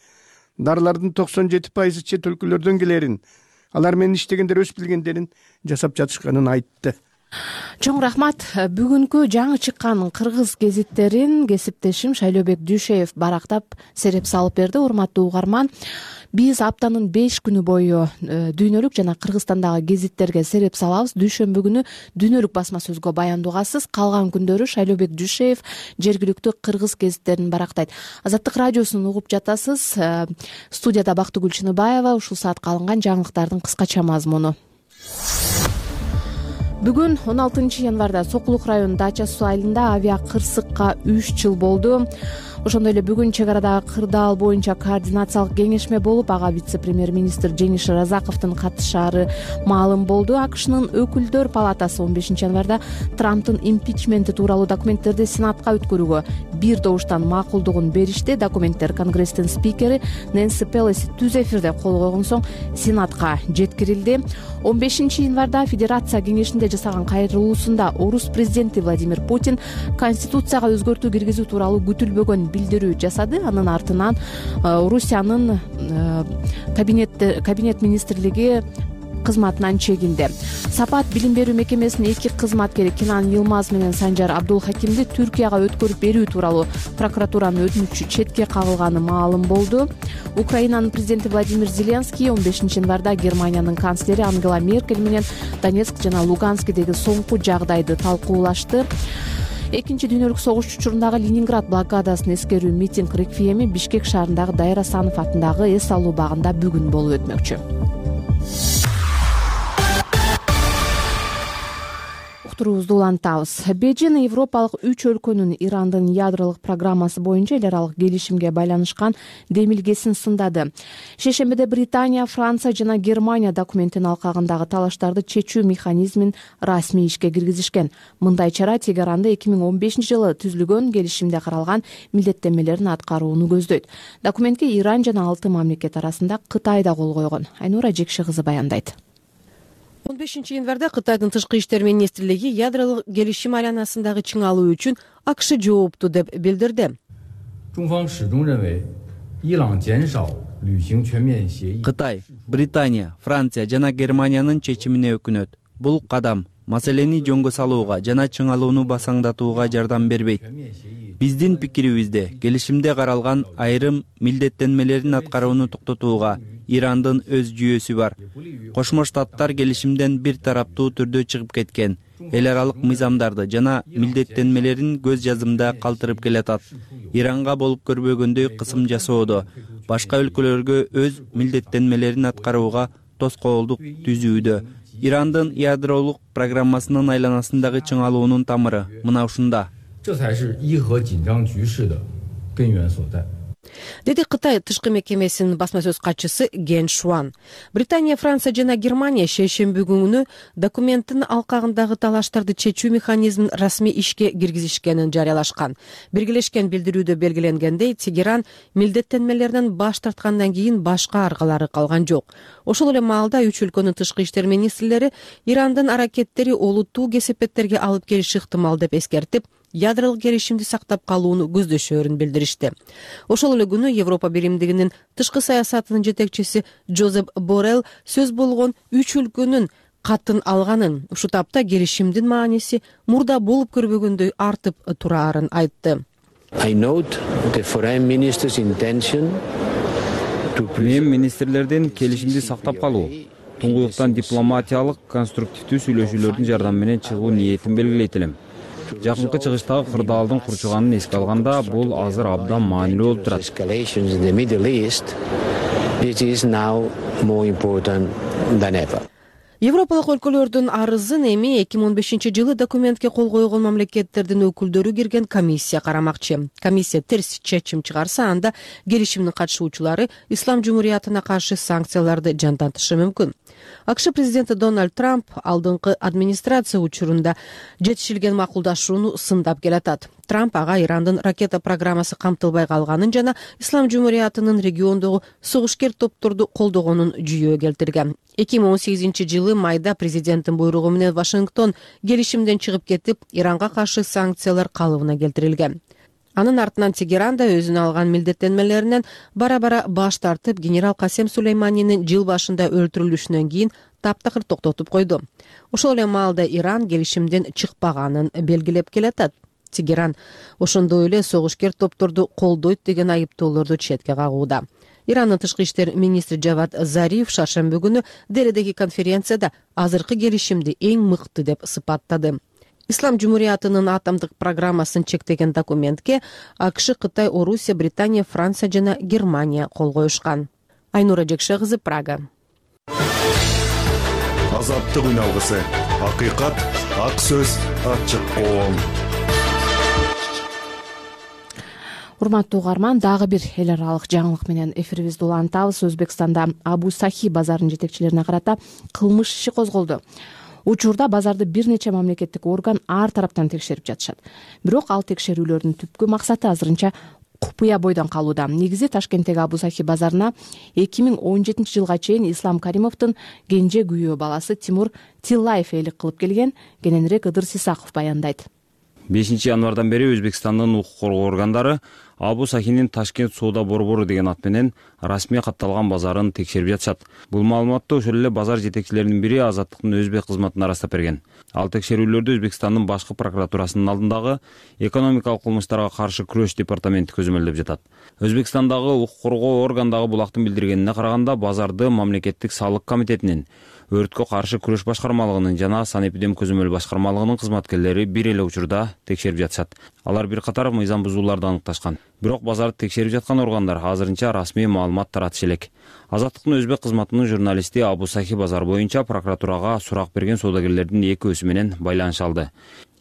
дарылардын токсон жети пайызы чет өлкөлөрдөн келерин, алар менен иштегендер өз билгендерин жасап жатышканын айтты. Чоң рахмат. Бүгүнкү жаңы чыккан кыргыз гезиттерин кесиптешим Шайлообек Дүйшеев барактап сереп салып берди. Урматтуу угарман, биз аптанын беш күнү бою дүйнөлүк жана Кыргызстандагы гезиттерге сереп салабыз. Дүйшөмбү күнү дүйнөлүк басма сөзгө баяндуугасыз, калган күндөрү Шайлообек Дүйшеев жергиликтүү кыргыз гезиттерин барактайт. Азаттык радиосун угуп жатасыз. Студияда Бактыгүл Чыныбаева. Ушул саатка алынган жаңылыктардын кыскача мазмуну. Бүгүн он алтынчы январда Сокулук районунун Дача суу айылында авиа кырсыкка үч жыл болду. Ошондой эле бүгүн чек арадагы кырдаал боюнча координациялык кеңешме болуп, ага вице-премьер-министр Жеңиш Разаковдун катышаары маалым болду. АКШнын өкүлдөр палатасы он бешинчи январда Трамптын импичменти тууралуу документтерди Сенатка өткөрүүгө бир добуштан макулдугун беришти. Документтер Конгресстин спикери Нэнси Пелоси түз эфирде кол койгон соң Сенатка жеткирилди. он бешинчи январда Федерация кеңешинде жасаган кайрылуусунда орус президенти Владимир Путин Конституцияга өзгөртүү киргизүү тууралуу күтүлбөгөн билдирүү жасады. Анын артынан Орусиянын кабинет кабинет министрлиги кызматынан чегинди. Сапат билим берүү мекемесинин эки кызматкери Кинан Йылмаз менен Санжар Абдулхакимди Түркияга өткөрүп берүү тууралуу прокуратуранын өтүнүчү четке кагылганы маалым болду. Украинанын президенти Владимир Зеленский он бешинчи январда Германиянын канцлери Ангела Меркель менен Донецк жана Луганскидеги соңку жагдайды талкуулашты. Экинчи дүйнөлүк согуш учурундагы Ленинград блокадасын эскерүү митинг реквиеми Бишкек шаарындагы Дайыр Асанов атындагы эс алуу багында бүгүн болуп өтмөкчү. Уктуруубузду улантабыз. Бейжин Европалык үч өлкөнүн Ирандын ядролук программасы боюнча эл аралык келишимге байланышкан демилгесин сындады. Шейшембиде Британия, Франция жана Германия документтин алкагындагы талаштарды чечүү механизмин расмий ишке киргизишкен. Мындай чара Тегеранда эки миң он бешинчи жылы түзүлгөн келишимде каралган милдеттенмелерин аткарууну көздөйт. Документке Иран жана алты мамлекет арасында Кытай да кол койгон. Айнура Жекши кызы баяндайт. он бешинчи январда Кытайдын тышкы иштер министрлиги ядролук келишим айланасындагы чыңалуу үчүн АКШ жоопту деп билдирди. Кытай, Британия, Франция жана Германиянын чечимине өкүнөт. Бул кадам маселени жөнгө салууга жана чыңалууну басаңдатууга жардам бербейт. Биздин пикирибизде келишимде каралган айрым милдеттенмелерин аткарууну токтотууга Ирандын өз жүйөсү бар. Кошмо Штаттар келишимден бир тараптуу түрдө чыгып кеткен. Эл аралык мыйзамдарды жана милдеттенмелерин көз жазымда калтырып келатат. Иранга болуп көрбөгөндөй кысым жасоодо, башка өлкөлөргө өз милдеттенмелерин аткарууга тоскоолдук түзүүдө. Ирандын ядролук программасынын айланасындагы чыңалуунун тамыры мына ушунда. Деди Кытай тышкы мекемесинин басма сөз катчысы Ген Шуан. Британия, Франция жана Германия шейшемби күнү документтин алкагындагы талаштарды чечүү механизмин расмий ишке киргизишкенин жарыялашкан. Биргелешкен билдирүүдө белгиленгендей, Тегеран милдеттенмелеринен баш тарткандан кийин башка аргалары калган жок. Ошол эле маалда үч өлкөнүн тышкы иштер министрлери Ирандын аракеттери олуттуу кесепеттерге алып келиши ыктымал деп эскертип, ядролук келишимди сактап калууну көздөшөрүн билдиришти. Ошол эле күнү Европа биримдигинин тышкы саясатынын жетекчиси Жозеп Боррелл сөз болгон үч өлкөнүн катын алганын, ушул тапта келишимдин мааниси мурда болуп көрбөгөндөй артып тураарын айтты. Мен министрлердин келишимди сактап калуу, туңгуюктан дипломатиялык конструктивдүү сүйлөшүүлөрдүн жардамы менен чыгуу ниетин белгилейт элем. Жакынкы чыгыштагы кырдаалдын курчуганын эске алганда, бул азыр абдан маанилүү болуп турат. Европалык өлкөлөрдүн арызын эми эки миң он бешинчи жылы документке кол койгон мамлекеттердин өкүлдөрү кирген комиссия карамакчы. Комиссия терс чечим чыгарса, анда келишимдин катышуучулары Ислам жумуриятына каршы санкцияларды жандантышы мүмкүн. АКШ президенти Дональд Трамп алдыңкы администрация учурунда жетишилген макулдашууну сындап келатат. Трамп ага Ирандын ракета программасы камтылбай калганын жана Ислам жумуриятынын региондогу согушкер топторду колдогонун жүйө келтирген. эки миң он сегизинчи жылы майда президенттин буйругу менен Вашингтон келишимден чыгып кетип, Иранга каршы санкциялар калыбына келтирилген. Анын артынан Тегеран да өзүнө алган милдеттенмелеринен бара-бара баш тартып, генерал Касем Сулейманинин жыл башында өлтүрүлүшүнөн кийин таптакыр токтотуп койду. Ошол эле маалда Иран келишимден чыкпаганын белгилеп келатат. Тегеран ошондой эле согушкер топторду колдойт деген айыптоолорду четке кагууда. Ирандын тышкы иштер министри Джавад Зариф шаршемби күнү Делидеги конференцияда азыркы келишимди эң мыкты деп сыпаттады. Ислам жумуриятынын атомдук программасын чектеген документке АКШ, Кытай, Орусия, Британия, Франция жана Германия кол коюшкан. Айнура Жекше кызы, Прага. Азаттык үн алгысы. Акыйкат, ак сөз, ачык коом. Урматтуу угарман, дагы бир эл аралык жаңылык менен эфирибизди улантабыз. Өзбекстанда Абу Сахи базарынын жетекчилерине карата кылмыш иши козголду. Учурда базарды бир нече мамлекеттик орган ар тараптан текшерип жатышат. Бирок ал текшерүүлөрдүн түпкү максаты азырынча купуя бойдон калууда. Негизи Ташкенттеги Абу Сахи базарына эки миң он жетинчи жылга чейин Ислам Каримовдун кенже күйөө баласы Тимур Тиллаев ээлик кылып келген. Кененирээк Ыдыр Сисаков баяндайт. бешинчи январдан бери Өзбекстандын укук коргоо органдары Абу Сахинин Ташкент соода борбору деген ат менен расмий катталган базарын текшерип жатышат. Бул маалыматты ошол эле базар жетекчилеринин бири Азаттыктын өзбек кызматына ырастап берген. Ал текшерүүлөрдү Өзбекстандын башкы прокуратурасынын алдындагы экономикалык кылмыштарга каршы күрөш департаменти көзөмөлдөп жатат. Өзбекстандагы укук коргоо органдагы булактын билдиргенине караганда, базарды мамлекеттик салык комитетинин, өрткө каршы күрөш башкармалыгынын жана санэпидем көзөмөл башкармалыгынын кызматкерлери бир эле учурда текшерип жатышат. Алар бир катар мыйзам бузууларды аныкташкан. Бирок базарды текшерип жаткан органдар азырынча расмий маалымат таратышы элек. Азаттыктын өзбек кызматынын журналисти Абу Сахи базар боюнча прокуратурага сурак берген соодагерлердин экөөсү менен байланыша алды.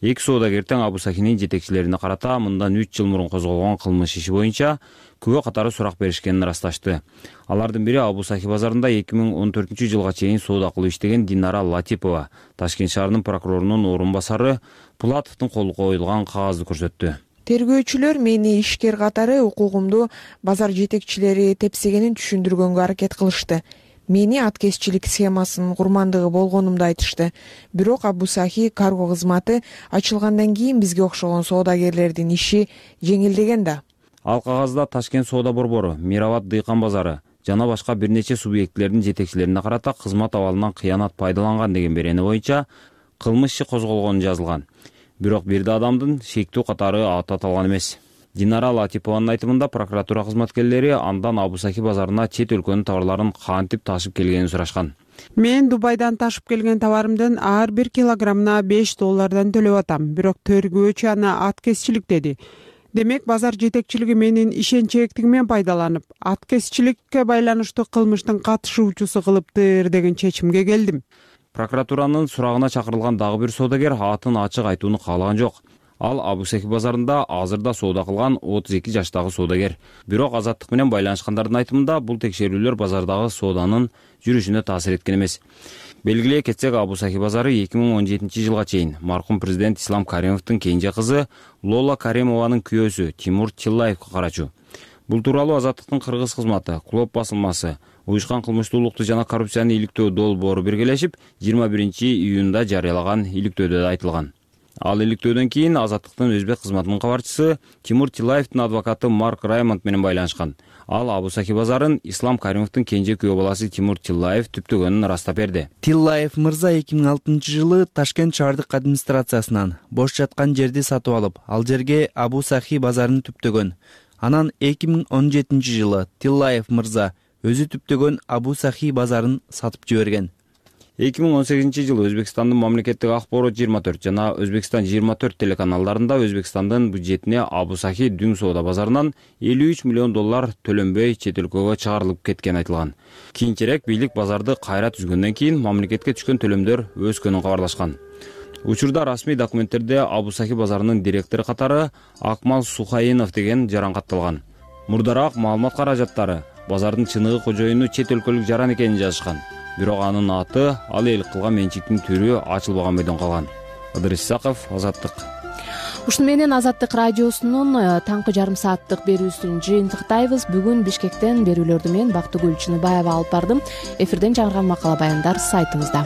Эки соодагер тең Абу Сахинин жетекчилерине карата мындан үч жыл мурун козголгон кылмыш иши боюнча күбө катары сурак беришкенин ырасташты. Алардын бири Абу Сахи базарында эки миң он төртүнчү жылга чейин соода кылып иштеген Динара Латипова, Ташкент шаарынын прокурорунун орун басары Пулатовдун колу коюлган кагазды көрсөттү. Тергөөчүлөр мени ишкер катары укугумду базар жетекчилери тепсегенин түшүндүргөнгө аракет кылышты. Мени аткезчилик схемасынын курмандыгы болгонумду айтышты. Бирок Абу Сахи карго кызматы ачылгандан кийин бизге окшогон соодагерлердин иши жеңилдеген да. Ал кагазда Ташкент соода борбору, Мирабад дыйкан базары жана башка бир нече субъектилердин жетекчилерине карата кызмат абалынан кыянат пайдаланган деген берени боюнча кылмыш иши козголгону жазылган. Бирок бир да адамдын шектүү катары аты аталган эмес. Динара Латипованын айтымында прокуратура кызматкерлери андан Абу Сахи базарына чет өлкөнүн товарларын кантип ташып келгенин сурашкан. Мен Дубайдан ташып келген товарымдын ар бир килограммына беш доллардан төлөп атам. Бирок тергөөчү аны аткезчилик деди. Демек базар жетекчилиги менин ишенчээктигимен пайдаланып, аткезчиликке байланыштуу кылмыштын катышуучусу кылыптыр деген чечимге келдим. Прокуратуранын сурагына чакырылган дагы бир соодагер атын ачык айтууну каалаган жок. Ал Абу Сахи базарында азырда соода кылган отуз эки жаштагы соодагер. Бирок Азаттык менен байланышкандардын айтымында бул текшерүүлөр базардагы сооданын жүрүшүнө таасир эткен эмес. Белгилей кетсек, Абу Сахи базары эки миң он жетинчи жылга чейин маркум президент Ислам Каримовдун кенже кызы Лола Каримованын күйөөсү Тимур Тиллаевге карачу. Бул тууралуу Азаттыктын кыргыз кызматы, Клоп басылмасы, уюшкан кылмыштуулукту жана коррупцияны иликтөө долбоору биргелешип жыйырма биринчи июнда жарыялаган иликтөөдө да айтылган. Ал иликтөөдөн кийин Азаттыктын өзбек кызматынын кабарчысы Тимур Тиллаевдин адвокаты Марк Раймонд менен байланышкан. Ал Абу Сахи базарын Ислам Каримовдун кенже күйөө баласы Тимур Тиллаев түптөгөнүн ырастап берди. Тиллаев мырза эки миң алтынчы жылы Ташкент шаардык администрациясынан бош жаткан жерди сатып алып, ал жерге Абу Сахи базарын түптөгөн. Анан эки миң он жетинчи жылы Тиллаев мырза өзү түптөгөн Абу Сахи базарын сатып жиберген. эки миң он сегизинчи жылы Өзбекстандын мамлекеттик акборот жыйырма төрт жана Өзбекстан жыйырма төрт телеканалдарында Өзбекстандын бюджетине Абу Сахи дүң соода базарынан элүү үч миллион доллар төлөнбөй чет өлкөгө чыгарылып кеткени айтылган. Кийинчерээк бийлик базарды кайра түзгөндөн кийин мамлекетке түшкөн төлөмдөр өскөнүн кабарлашкан. Учурда расмий документтерде Абу Сахи базарынын директору катары Акмал Сухаинов деген жаран катталган. Мурдараак маалымат каражаттары базардын чыныгы кожоюну чет өлкөлүк жаран экенин жазышкан. Бирок анын аты, ал эл кылган менчиктин түрү ачылбаган бойдон калган. Ыдырыс Исаков, Азаттык. Ушуну менен Азаттык радиосунун таңкы жарым сааттык берүүсүн жыйынтыктайбыз. Бүгүн Бишкектен берүүлөрдү мен Бактыгүл Чыныбаева алып бардым. Эфирден жаңырган макала баяндар сайтыбызда.